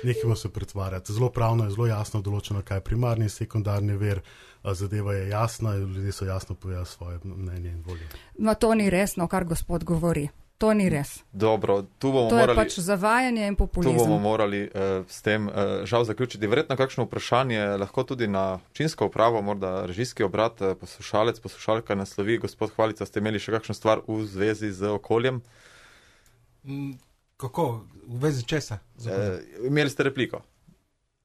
Nehimo se pretvarjati. Zelo pravno je zelo jasno določeno, kaj je primarni in sekundarni vir. Zadeva je jasna in ljudje so jasno povedali svoje mnenje in volje. No, to ni resno, kar gospod govori. To ni res. Dobro, tu bomo to je morali, pač zavajanje in populizem. Tu bomo morali uh, s tem uh, žal zaključiti. Verjetno kakšno vprašanje lahko tudi na občinsko upravo, morda režijski obrat, uh, poslušalec, poslušalka naslovi. Gospod Hvalica, ste imeli še kakšno stvar v zvezi z okoljem? Mm, kako? V zvezi česa? Uh, imeli ste repliko.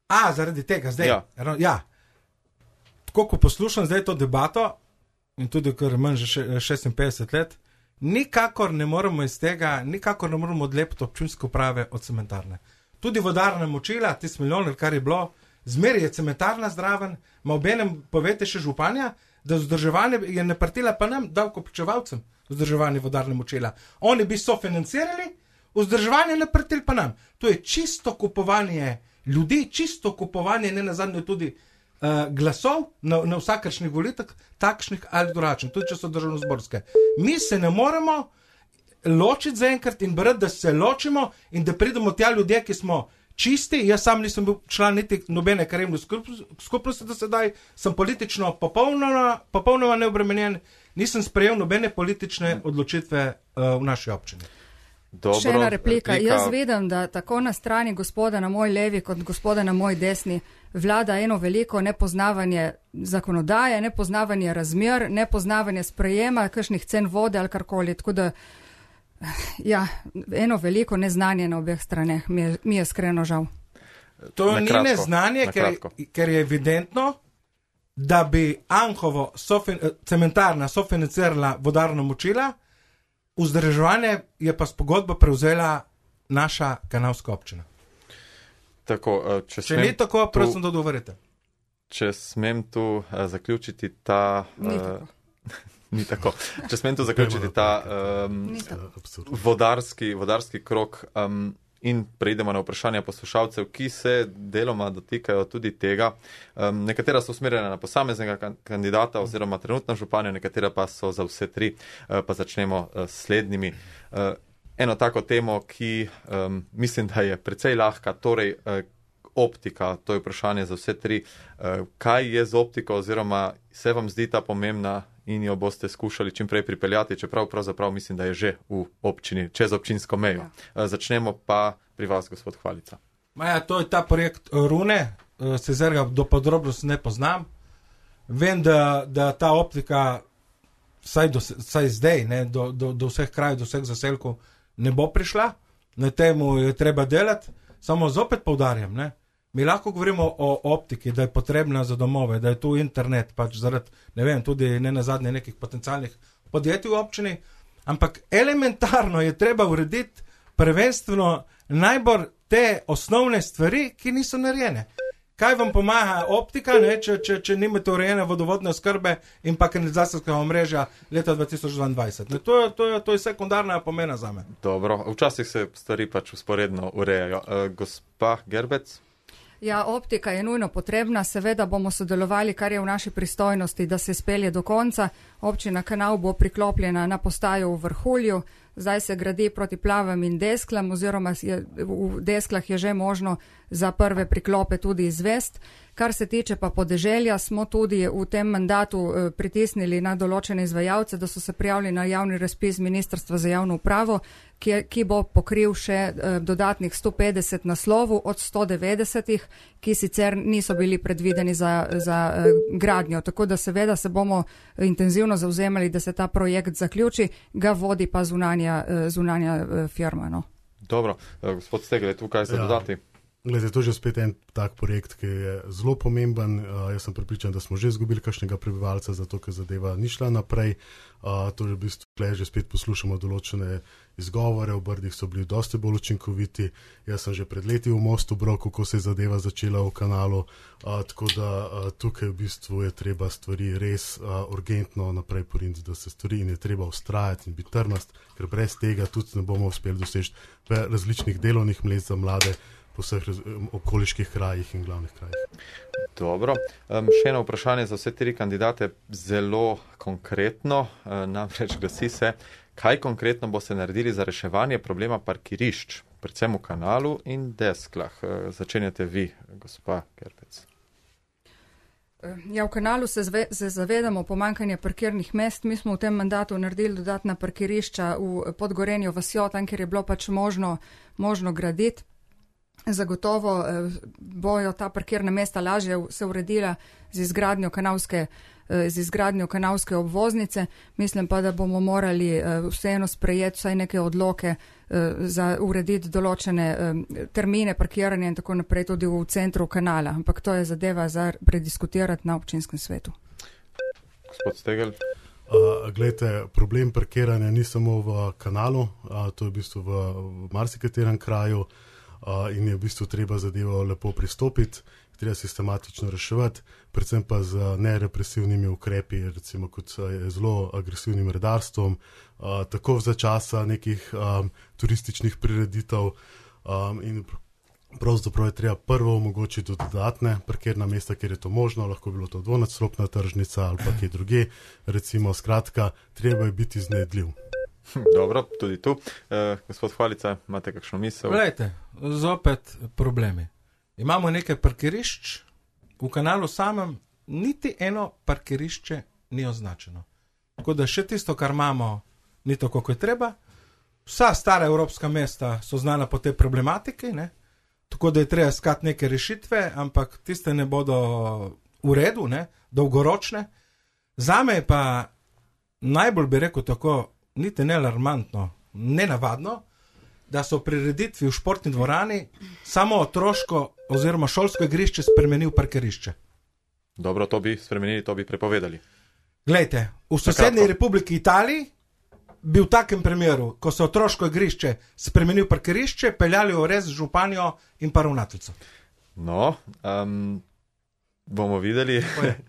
A, zaradi tega zdaj? Ja. ja. Tako, ko poslušam zdaj to debato in tudi, ker manj že šestinpetdeset let, nikakor ne moremo iz tega, nikakor ne moremo odlepiti občinske uprave od cementarne. Tudi vodarna močila, tisti milijon, kar je bilo, zmeri je cementarna zdraven, ma obenem povete še županja, da vzdrževanje je naprtila pa nam, davkoplačevalcem, vzdrževanje vodarne močila. Oni bi sofinancirali, vzdrževanje naprtili pa nam. To je čisto kupovanje ljudi, čisto kupovanje, ne nazadnje tudi Uh, glasov na, na vsakršnih volitvah, takšnih ali drugačnih, tudi če so državnozborske. Mi se ne moremo ločiti zaenkrat in brati, da se ločimo in da pridemo tja ljudje, ki smo čisti. Jaz sam nisem bil član niti nobene krajevne skupnosti do sedaj, sem politično popolnoma, popolnoma neobremenjen, nisem sprejel nobene politične odločitve uh, v naši občini. Dobro, še ena replika. replika. Jaz vedem, da tako na strani gospoda na moj levi kot gospoda na moj desni vlada eno veliko nepoznavanje zakonodaje, nepoznavanje razmer, nepoznavanje sprejema kakšnih cen vode ali karkoli. Tako da, ja, eno veliko neznanje na obeh straneh. Mi je, mi je iskreno žal. To Na ni kratko, neznanje, na ker, kratko. ker je evidentno, da bi Anhovo sofin, cementarna sofinancirala vodarno močila, vzdrževanje je pa s pogodbo prevzela naša kanalska občina. Tako, uh, če Če ni tako, tu, prosim, da odgovorite. Če smem tu uh, zaključiti ta... Ni Uh, tako. ni tako. Če smem tu zaključiti ta um, Ni tako. Absurd. vodarski, vodarski krok um, in preidemo na vprašanja poslušalcev, ki se deloma dotikajo tudi tega. Um, nekatera so usmerjena na posameznega kan- kandidata oziroma trenutno županja, nekatera pa so za vse tri. Uh, pa začnemo uh, s slednjimi. Uh, eno tako temo, ki um, mislim, da je precej lahka, torej uh, optika, to je vprašanje za vse tri. Uh, kaj je z optiko oziroma se vam zdi ta pomembna in jo boste skušali čim prej pripeljati, čeprav pravzaprav mislim, da je že v občini, čez občinsko mejo. Ja. Uh, začnemo pa pri vas, gospod Hvalica. Maja, to je ta projekt Rune, uh, se zerga do podrobnosti ne poznam. Vem, da, da ta optika Saj, do, saj zdaj, ne, do, do, do vseh krajev, do vseh zaselkov ne bo prišla, na temu je treba delati, samo zopet poudarjam, ne, mi lahko govorimo o optiki, da je potrebna za domove, da je tu internet, pač zaradi, ne vem, tudi ne nazadnje nekih potencialnih podjetij v občini, ampak elementarno je treba urediti prvenstveno najbolj te osnovne stvari, ki niso narejene. Kaj vam pomaga optika, ne, če, če, če nimate urejene vodovodne oskrbe in pa kanalizacijskega omrežja leta dva tisoč dvaindvajset? Ne, to, je, to, je, to je sekundarna pomena za me. Dobro, včasih se stvari pač usporedno urejajo. E, gospa Gerbec? Ja, optika je nujno potrebna, seveda bomo sodelovali, kar je v naši pristojnosti, da se spelje do konca. Občina Kanal bo priklopljena na postajo v Vrhulju, zdaj se gradi proti Plavem in Desklam, oziroma je, v Desklah je že možno za prve priklope tudi izvest. Kar se tiče pa podeželja, smo tudi v tem mandatu eh, pritisnili na določene izvajalce, da so se prijavili na javni razpis Ministrstva za javno upravo, ki, ki bo pokril še eh, dodatnih sto petdeset naslovov od sto devetdesetih, ki sicer niso bili predvideni za, za eh, gradnjo. Tako da seveda se bomo intenzivno zauzemali, da se ta projekt zaključi, ga vodi pa zunanja, eh, zunanja eh, firma. No. Dobro, eh, gospod Stegel, tukaj se ja. dodati. Glede, to je že spet en tak projekt, ki je zelo pomemben. Uh, jaz sem pripričan, da smo že izgubili kakšnega prebivalca, zato ker zadeva ni šla naprej. Uh, to je v bistvu, tukaj že spet poslušamo določene izgovore, v Brdih so bili dosti bolj učinkoviti. Jaz sem že pred leti v Mostu bral, kako se je zadeva začela v Kanalu. Uh, tako da uh, tukaj v bistvu je treba stvari res uh, urgentno naprej poriniti, da se stvari in je treba ustrajati in biti trmast, ker brez tega tudi ne bomo uspeli doseči različnih delovnih mest za mlade po vseh okoliških krajih in glavnih krajih. Dobro. Um, še eno vprašanje za vse tri kandidate, zelo konkretno, uh, namreč glasi se, kaj konkretno bo se naredili za reševanje problema parkirišč, predvsem v Kanalu in Desklah. Uh, začenjate vi, gospa Gerbec. Ja, v Kanalu se, zve, se zavedamo pomankanja parkirnih mest. Mi smo v tem mandatu naredili dodatna parkirišča v Podgorenju vasjo, tam, kjer je bilo pač možno, možno graditi. Zagotovo eh, bojo ta parkirna mesta lažje se uredila z izgradnjo kanalske, eh, z izgradnjo kanalske obvoznice. Mislim pa, da bomo morali eh, vseeno sprejeti vsaj neke odloke eh, za urediti določene eh, termine parkiranja in tako naprej tudi v centru kanala. Ampak to je zadeva za prediskutirati na občinskem svetu. Gospod Stegel. Uh, glejte, problem parkiranja ni samo v Kanalu, uh, to je v bistvu v, v marsikaterem kraju. Uh, in je v bistvu treba zadevo lepo pristopiti, treba sistematično reševati, predvsem pa z nerepresivnimi ukrepi, recimo kot je zelo agresivnim redarstvom, uh, tako za časa nekih um, turističnih prireditev um, in pravzaprav je treba prvo omogočiti dodatne parkirna mesta, kjer je to možno, lahko bilo to dvonadstropna tržnica ali pa kje druge, recimo skratka, treba je biti iznajdljiv. Dobro, tudi tu. Uh, gospod Hvalica, imate kakšno misel? Glejte, zopet problemi. Imamo nekaj parkirišč, v Kanalu samem niti eno parkirišče ni označeno. Tako da še tisto, kar imamo, ni tako, kot je treba. Vsa stara evropska mesta so znana po tej problematiki, ne? Tako da je treba iskati neke rešitve, ampak tiste ne bodo v redu, ne? Dolgoročne. Zame je pa najbolj bi rekel tako, niti ne alarmantno, nenavadno, da so prireditvi v športni dvorani samo otroško oziroma šolsko igrišče spremenil parkirišče. Dobro, to bi spremenili, to bi prepovedali. Glejte, v sosednji Republiki Italiji bi v takem primeru, ko so otroško igrišče spremenil parkirišče, peljali v res županjo in pa ravnateljico. No, um, bomo videli,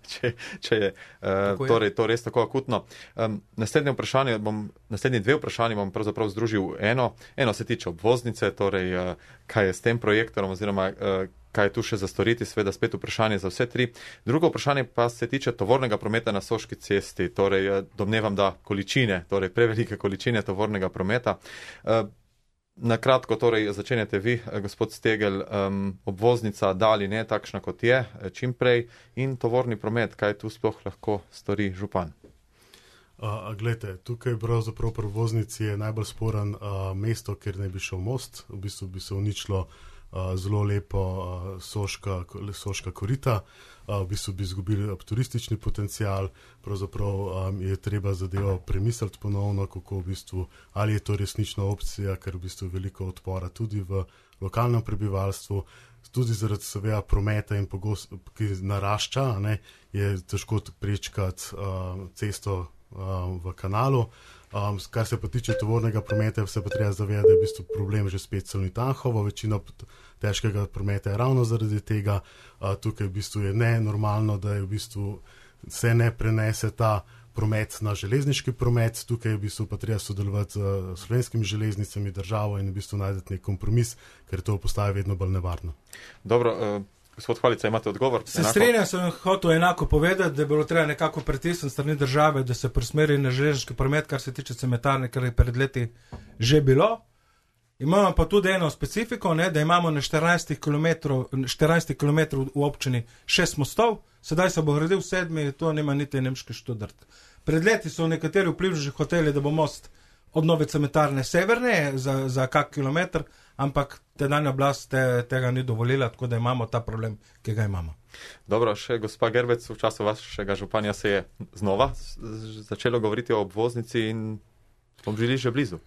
če, če je, uh, torej, to res tako akutno. Um, naslednje vprašanje bom, naslednji dve vprašanje bom pravzaprav združil eno. Eno se tiče obvoznice, torej uh, kaj je s tem projektom oziroma uh, kaj je tu še za storiti, seveda spet vprašanje za vse tri. Drugo vprašanje pa se tiče tovornega prometa na Soški cesti, torej domnevam, da količine, torej prevelike količine tovornega prometa. Na kratko, torej začenjate vi, gospod Stegel, um, obvoznica da ali ne takšna, kot je, čim prej, in tovorni promet, kaj tu sploh lahko stori župan? Uh, Glejte, tukaj pravzaprav pri obvoznici je najbolj sporen uh, mesto, kjer ne bi šel most, v bistvu bi se uničilo uh, zelo lepo uh, soška, soška korita, uh, v bistvu bi izgubili turistični potencial, pravzaprav um, je treba zadevo premisliti ponovno, kako v bistvu, ali je to resnična opcija, ker v bistvu je veliko odpora tudi v lokalnem prebivalstvu, tudi zaradi seveda prometa in pogost, ki narašča, ne, je težko prečkati uh, cesto v kanalu. Um, kar se pa tiče tovornega prometa, se pa treba zavedati, da je v bistvu problem že spet Salonitanhovo, večina težkega prometa je ravno zaradi tega. Uh, tukaj v bistvu je nenormalno, da je v bistvu se ne prenese ta promet na železniški promet, tukaj v bistvu pa treba sodelovati z slovenskimi železnicami, državo in v bistvu najdeti nek kompromis, ker to postaje vedno bolj nevarno. Dobro, uh... Gospod Hvalica, imate odgovor? Se strenjam, sem hotel enako povedati, da je bilo treba nekako pritisniti strani države, da se presmeri na železniški promet, kar se tiče cementarne, kar je pred leti že bilo. Imamo pa tudi eno specifiko, ne, da imamo na štirinajstih kilometrov v občini šest mostov, sedaj se bo gradil sedmi, to nima niti nemški študent. Pred leti so nekateri vplivni že hoteli, da bo most od nove cementarne severne za, za kak kilometr, ampak tedanja oblast te, tega ni dovolila, tako da imamo ta problem, ki ga imamo. Dobro, še gospa Gerbec, v času vašega županja se je znova začelo govoriti o obvoznici in smo bili že blizu.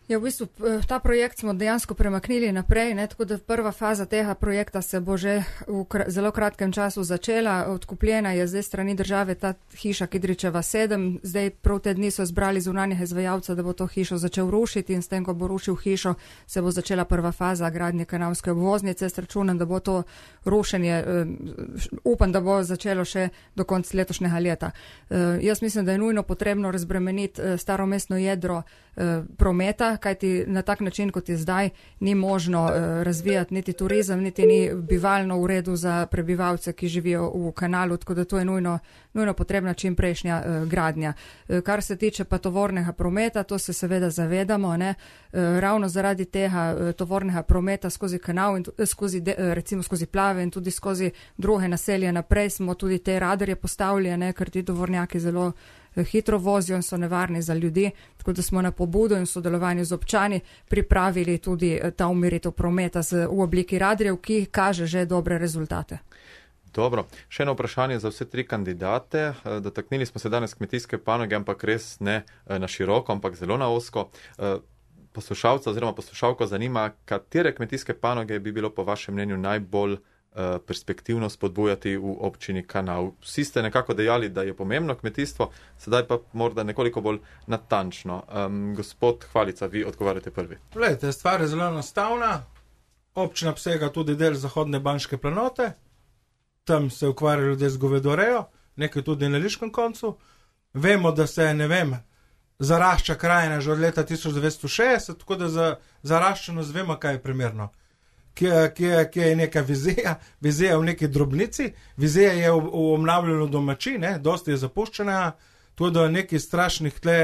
Ja, v bistvu ta projekt smo dejansko premaknili naprej, ne, tako da prva faza tega projekta se bo že v kr zelo kratkem času začela. Odkupljena je zdaj strani države ta hiša Kidričeva sedem, zdaj prav te dni so zbrali zunanjega izvajalca, da bo to hišo začel rušiti in s tem, ko bo rušil hišo, se bo začela prva faza gradnje kanalske obvoznice. S računom, da bo to rušenje, uh, upam, da bo začelo še do konca letošnjega leta. Uh, jaz mislim, da je nujno potrebno razbremeniti uh, staro mestno jedro uh, prometa, kajti na tak način, kot je zdaj, ni možno uh, razvijati niti turizem, niti ni bivalno v redu za prebivalce, ki živijo v kanalu, tako da to je nujno, nujno potrebna čim prejšnja uh, gradnja. Uh, kar se tiče pa tovornega prometa, to se seveda zavedamo, ne? Uh, ravno zaradi tega uh, tovornega prometa skozi kanal in uh, skozi de, uh, recimo skozi plave in tudi skozi druge naselje naprej smo tudi te radarje postavili, ne? Ker ti tovornjaki zelo hitro vozijo in so nevarni za ljudi, tako da smo na pobudo in sodelovanju z občani pripravili tudi ta umiritev prometa z, v obliki radarjev, ki kaže že dobre rezultate. Dobro, še eno vprašanje za vse tri kandidate. Dotaknili smo se danes kmetijske panoge, ampak res ne na široko, ampak zelo na ozko. Poslušalca oziroma poslušalko zanima, katere kmetijske panoge bi bilo po vašem mnenju najbolj perspektivno spodbujati v občini Kanal. Vsi ste nekako dejali, da je pomembno kmetijstvo, sedaj pa morda nekoliko bolj natančno. Um, gospod Hvalica, vi odgovarjate prvi. Glejte, stvar je zelo enostavna. Občina obsega tudi del zahodne Banške planote, tam se ukvarjajo ljudje z govedorejo, nekaj tudi na Liškem koncu. Vemo, da se, ne vem, zarašča krajina že od leta tisoč devetsto šestdeset, tako da za zaraščenost vemo, kaj je primerno. Kje, kje, kje je neka vizija, vizija v neki drobnici, vizija je v, v obnavljanju domači, ne, dosti je zapuščena, tudi do nekih strašnih tle,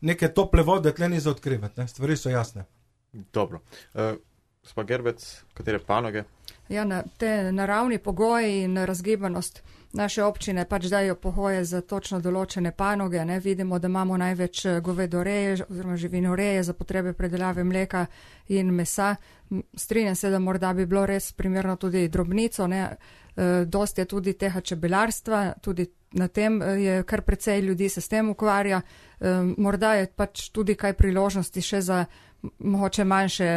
neke tople vode tle ni za odkrivati, ne, stvari so jasne. Dobro. Uh, Gospa Gerbec, katere panoge? Ja, na, te naravni pogoji in razgibanost naše občine pač dajo pogoje za točno določene panoge. Ne? Vidimo, da imamo največ govedoreje oziroma živinoreje za potrebe predelave mleka in mesa. Strinjam se, da morda bi bilo res primerno tudi drobnico. Ne? E, dosti je tudi tega čebelarstva, tudi na tem je kar precej ljudi se s tem ukvarja. E, morda je pač tudi kaj priložnosti še za mogoče manjše,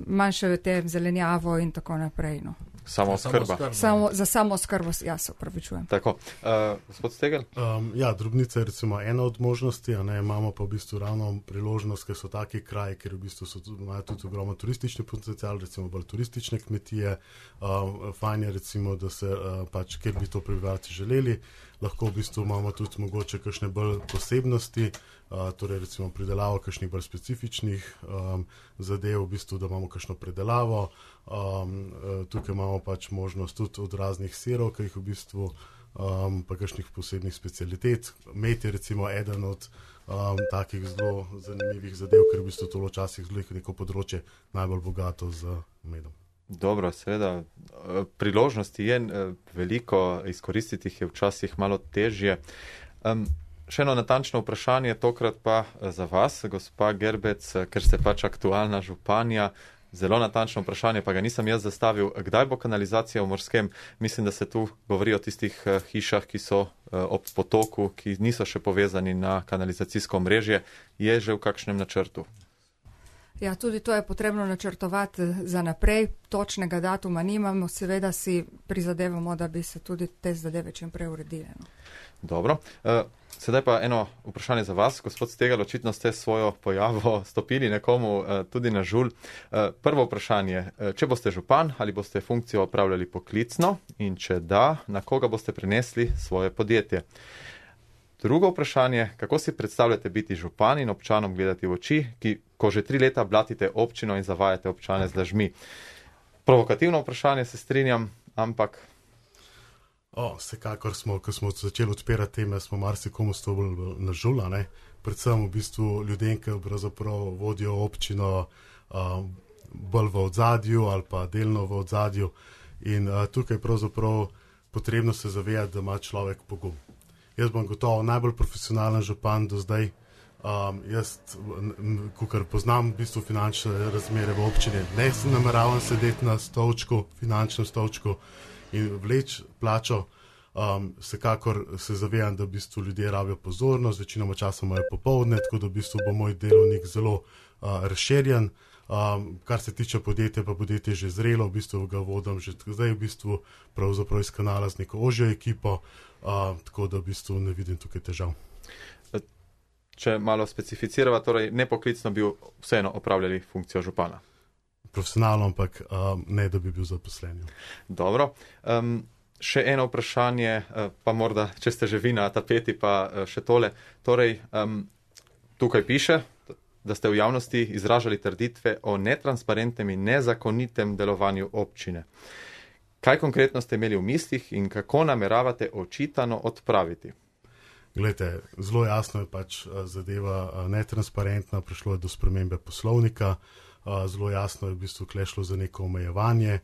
manjše te zelenjavo in tako naprej. No. Samo skrba. Samo, za samo skrbo, ja, se upravičujem. Tako, uh, gospod Stegel? Um, ja, drobnica je recimo ena od možnosti, a ne, imamo pa v bistvu ravno priložnost, ker so taki kraji, ker v bistvu so tudi, imajo tudi ogromno turistični potencial, recimo bolj turistične kmetije. Um, fajn je recimo, da se uh, pač, kjer bi to prebivalci želeli, lahko v bistvu imamo tudi mogoče kakšne bolj posebnosti, uh, torej recimo pridelavo kakšnih bolj specifičnih um, zadev, v bistvu, da imamo kakšno predelavo. Um, tukaj imamo imamo pač možnost tudi od raznih sirov, ki jih v bistvu, um, pa kakšnih posebnih specialitet. Med je recimo eden od um, takih zelo zanimivih zadev, ker v bistvu to včasih zelo neko področje najbolj bogato z medom. Dobro, seveda, priložnosti je veliko, izkoristiti jih je včasih malo težje. Um, še eno natančno vprašanje, tokrat pa za vas, gospa Gerbec, ker ste pač aktualna županja. Zelo natančno vprašanje, pa ga nisem jaz zastavil. Kdaj bo kanalizacija v Morskem? Mislim, da se tu govori o tistih hišah, ki so ob potoku, ki niso še povezani na kanalizacijsko omrežje. Je že v kakšnem načrtu? Ja, tudi to je potrebno načrtovati za naprej. Točnega datuma nimamo, seveda si prizadevamo, da bi se tudi te zadeve čim prej uredile. No. Dobro. Sedaj pa eno vprašanje za vas. Gospod Stegal, očitno ste svojo pojavo stopili nekomu tudi na žulj. Prvo vprašanje, če boste župan, ali boste funkcijo opravljali poklicno in če da, na koga boste prenesli svoje podjetje? Drugo vprašanje, kako si predstavljate biti župan in občanom gledati v oči, ki, ko že tri leta blatite občino in zavajate občane z lažmi? Provokativno vprašanje, se strinjam, ampak... O, vsekakor smo, ko smo začeli odpirati teme, smo marsikomu stopili na žula, ne? Predvsem v bistvu ljudem, ki pravzaprav vodijo občino um, bolj v odzadju ali pa delno v odzadju. In uh, tukaj pravzaprav potrebno se zavedati, da ima človek pogum. Jaz bom gotovo najbolj profesionalen župan do zdaj. Um, jaz, kakor poznam v bistvu finančne razmere v občini, ne se nameravam sedeti na stolčku, finančnem stolčku in vleč plačo. Um, vsekakor se zavedam, da v bistvu ljudje rabijo pozornost, večinoma časa imajo popoldne, tako da v bistvu bo moj delovnik zelo uh, razširjen. Um, kar se tiče podjetja, pa podjetje je že zrelo, v bistvu ga vodim že zdaj v bistvu pravzaprav iz kanala z neko ožjo ekipo, uh, tako da v bistvu ne vidim tukaj težav. Če malo specificirava, torej nepoklicno bi vseeno opravljali funkcijo župana? Profesionalno, ampak um, ne, da bi bil zaposlen. Dobro. Um, še eno vprašanje, pa morda, če ste že vi na tapeti, pa še tole. Torej, um, tukaj piše, da ste v javnosti izražali trditve o netransparentnem in nezakonitem delovanju občine. Kaj konkretno ste imeli v mislih in kako nameravate očitano odpraviti? Glejte, zelo jasno je pač zadeva netransparentna, prišlo je do spremembe poslovnika, zelo jasno je v bistvu klešlo za neko omejevanje,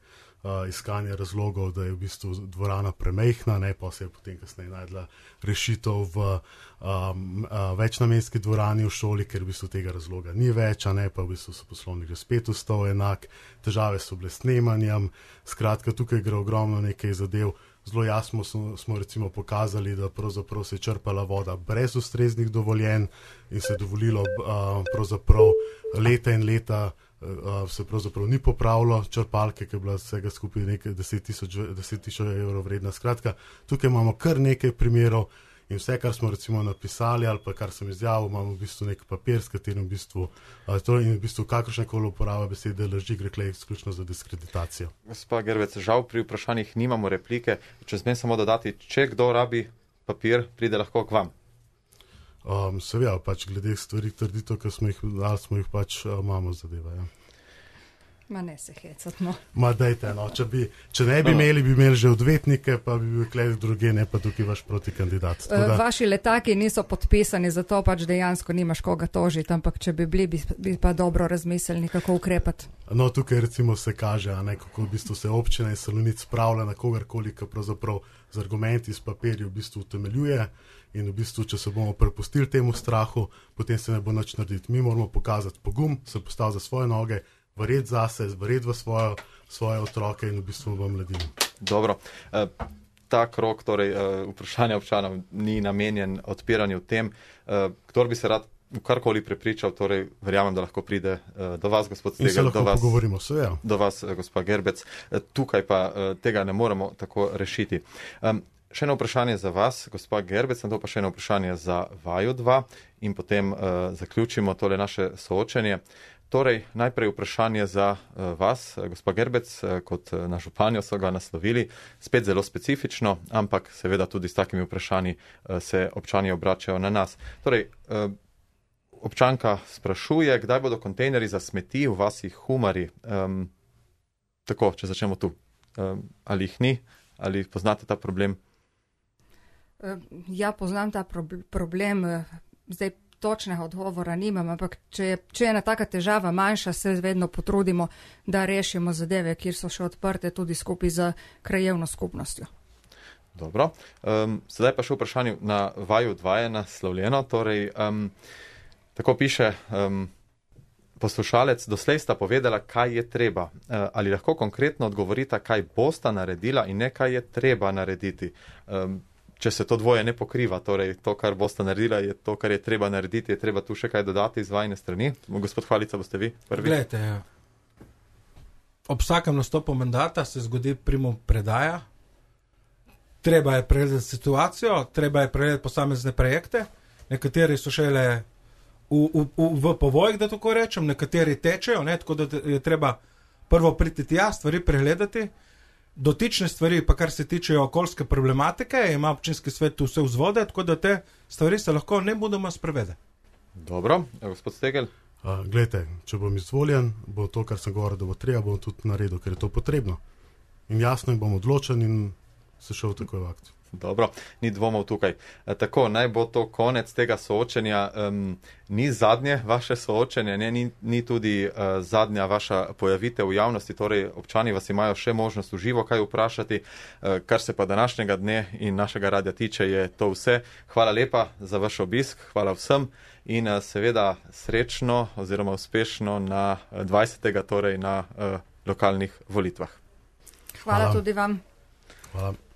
iskanje razlogov, da je v bistvu dvorana premejhna, ne, pa se je potem kasneje najdla rešitev v um, večnamenski dvorani v šoli, ker v bistvu tega razloga ni več, a ne, pa v bistvu so poslovnik že spet ostal enak, težave so bile s snemanjem, skratka, tukaj gre ogromno nekaj zadev. Zelo jasno smo, smo recimo pokazali, da pravzaprav se je črpala voda brez ustreznih dovoljenj in se je dovolilo uh, pravzaprav leta in leta uh, se pravzaprav ni popravilo črpalke, ki je bila vsega skupaj nekaj deset tisoč evrov vredna. Skratka, tukaj imamo kar nekaj primerov in vse, kar smo recimo napisali ali pa kar sem izjavil, imamo v bistvu nek papir, s katerim v bistvu, uh, to in v bistvu kakršnekoli uporaba besede laži gre klej izključno za diskreditacijo. Gospa Gerbec, žal pri vprašanjih nimamo replike. Če smem samo dodati, če kdo rabi papir, pride lahko k vam. Um, Seveda, pač glede stvari trditev, ki smo jih dali, smo jih pač uh, imamo zadeva, ja. Ma ne se hecati, no. Ma dajte, no, če, bi, če ne bi imeli, bi imeli že odvetnike, pa bi bil klej druge, ne pa tukaj vaš protikandidat. Da... Vaši letaki niso podpisani, zato pač dejansko nimaš koga tožiti, ampak če bi bili, bi, bi pa dobro razmislili, kako ukrepati. No, tukaj recimo se kaže, a ne, kako v bistvu se občina in Salonit spravlja na kogarkoli, ki pravzaprav z argumenti iz papirja v bistvu utemeljuje in v bistvu, če se bomo prepustili temu strahu, potem se ne bo nič narediti. Mi moramo pokazati pogum, se postaviti za svoje noge, verjeti zase, verjeti v svojo, svoje otroke in v bistvu v mladino. Dobro. E, ta krog, torej e, vprašanja občanov ni namenjen odpiranju tem. E, kdor bi se rad karkoli prepričal, torej verjamem, da lahko pride e, do vas, gospod Stegal. In se lahko pogovorimo, se ja. Do vas, gospa Gerbec. E, tukaj pa e, tega ne moremo tako rešiti. E, še eno vprašanje za vas, gospa Gerbec, na to pa še eno vprašanje za vaju dva in potem e, zaključimo tole naše soočenje. Torej, najprej vprašanje za uh, vas, gospa Gerbec, uh, kot uh, na županjo so ga naslovili, spet zelo specifično, ampak seveda tudi s takimi vprašanji uh, se občani obračajo na nas. Torej, uh, občanka sprašuje, kdaj bodo kontejneri za smeti v vasi Humari. Um, tako, če začnemo tu. ali jih ni, ali poznate ta problem? Ja, poznam ta problem, zdaj točnega odgovora nimam, ampak če je, če je ena taka težava manjša, se vedno potrudimo, da rešimo zadeve, kjer so še odprte tudi skupaj z krajevno skupnostjo. Dobro, um, sedaj pa še vprašanje na vaju dva je naslovljeno, torej um, tako piše um, poslušalec, doslej sta povedala, kaj je treba. Uh, ali lahko konkretno odgovorita, kaj bosta naredila in ne kaj je treba narediti? Um, če se to dvoje ne pokriva, torej to, kar boste naredila, je to, kar je treba narediti, je treba tu še kaj dodati iz vajne strani. Gospod Hvalica, boste vi prvi? Glejte, ob vsakem nastopu mandata se zgodi primo predaja, treba je pregledati situacijo, treba je pregledati posamezne projekte, nekateri so šele v, v, v, v povojih, da tako rečem, nekateri tečejo, ne, tako da je treba prvo priti tja, stvari pregledati. Dotične stvari, pa kar se tiče okoljske problematike, ima občinski svet vse vzvode, tako da te stvari se lahko ne budemo sprevede. Dobro, gospod Stegel. Uh, Glejte, če bom izvoljen, bo to, kar sem govoril, da bo treba, bom tudi naredil, ker je to potrebno. In jasno, in bom odločen in se šel takoj v akcijo. Dobro, ni dvomov tukaj. E, tako, naj bo to konec tega soočenja. Um, ni zadnje vaše soočenje, ne, ni, ni tudi uh, zadnja vaša pojavitev v javnosti, torej občani vas imajo še možnost v živo kaj vprašati. Uh, kar se pa današnjega dne in našega radia tiče, je to vse. Hvala lepa za vaš obisk, hvala vsem in uh, seveda srečno oziroma uspešno na dvajsetega torej na uh, lokalnih volitvah. Hvala, hvala tudi vam. Hvala.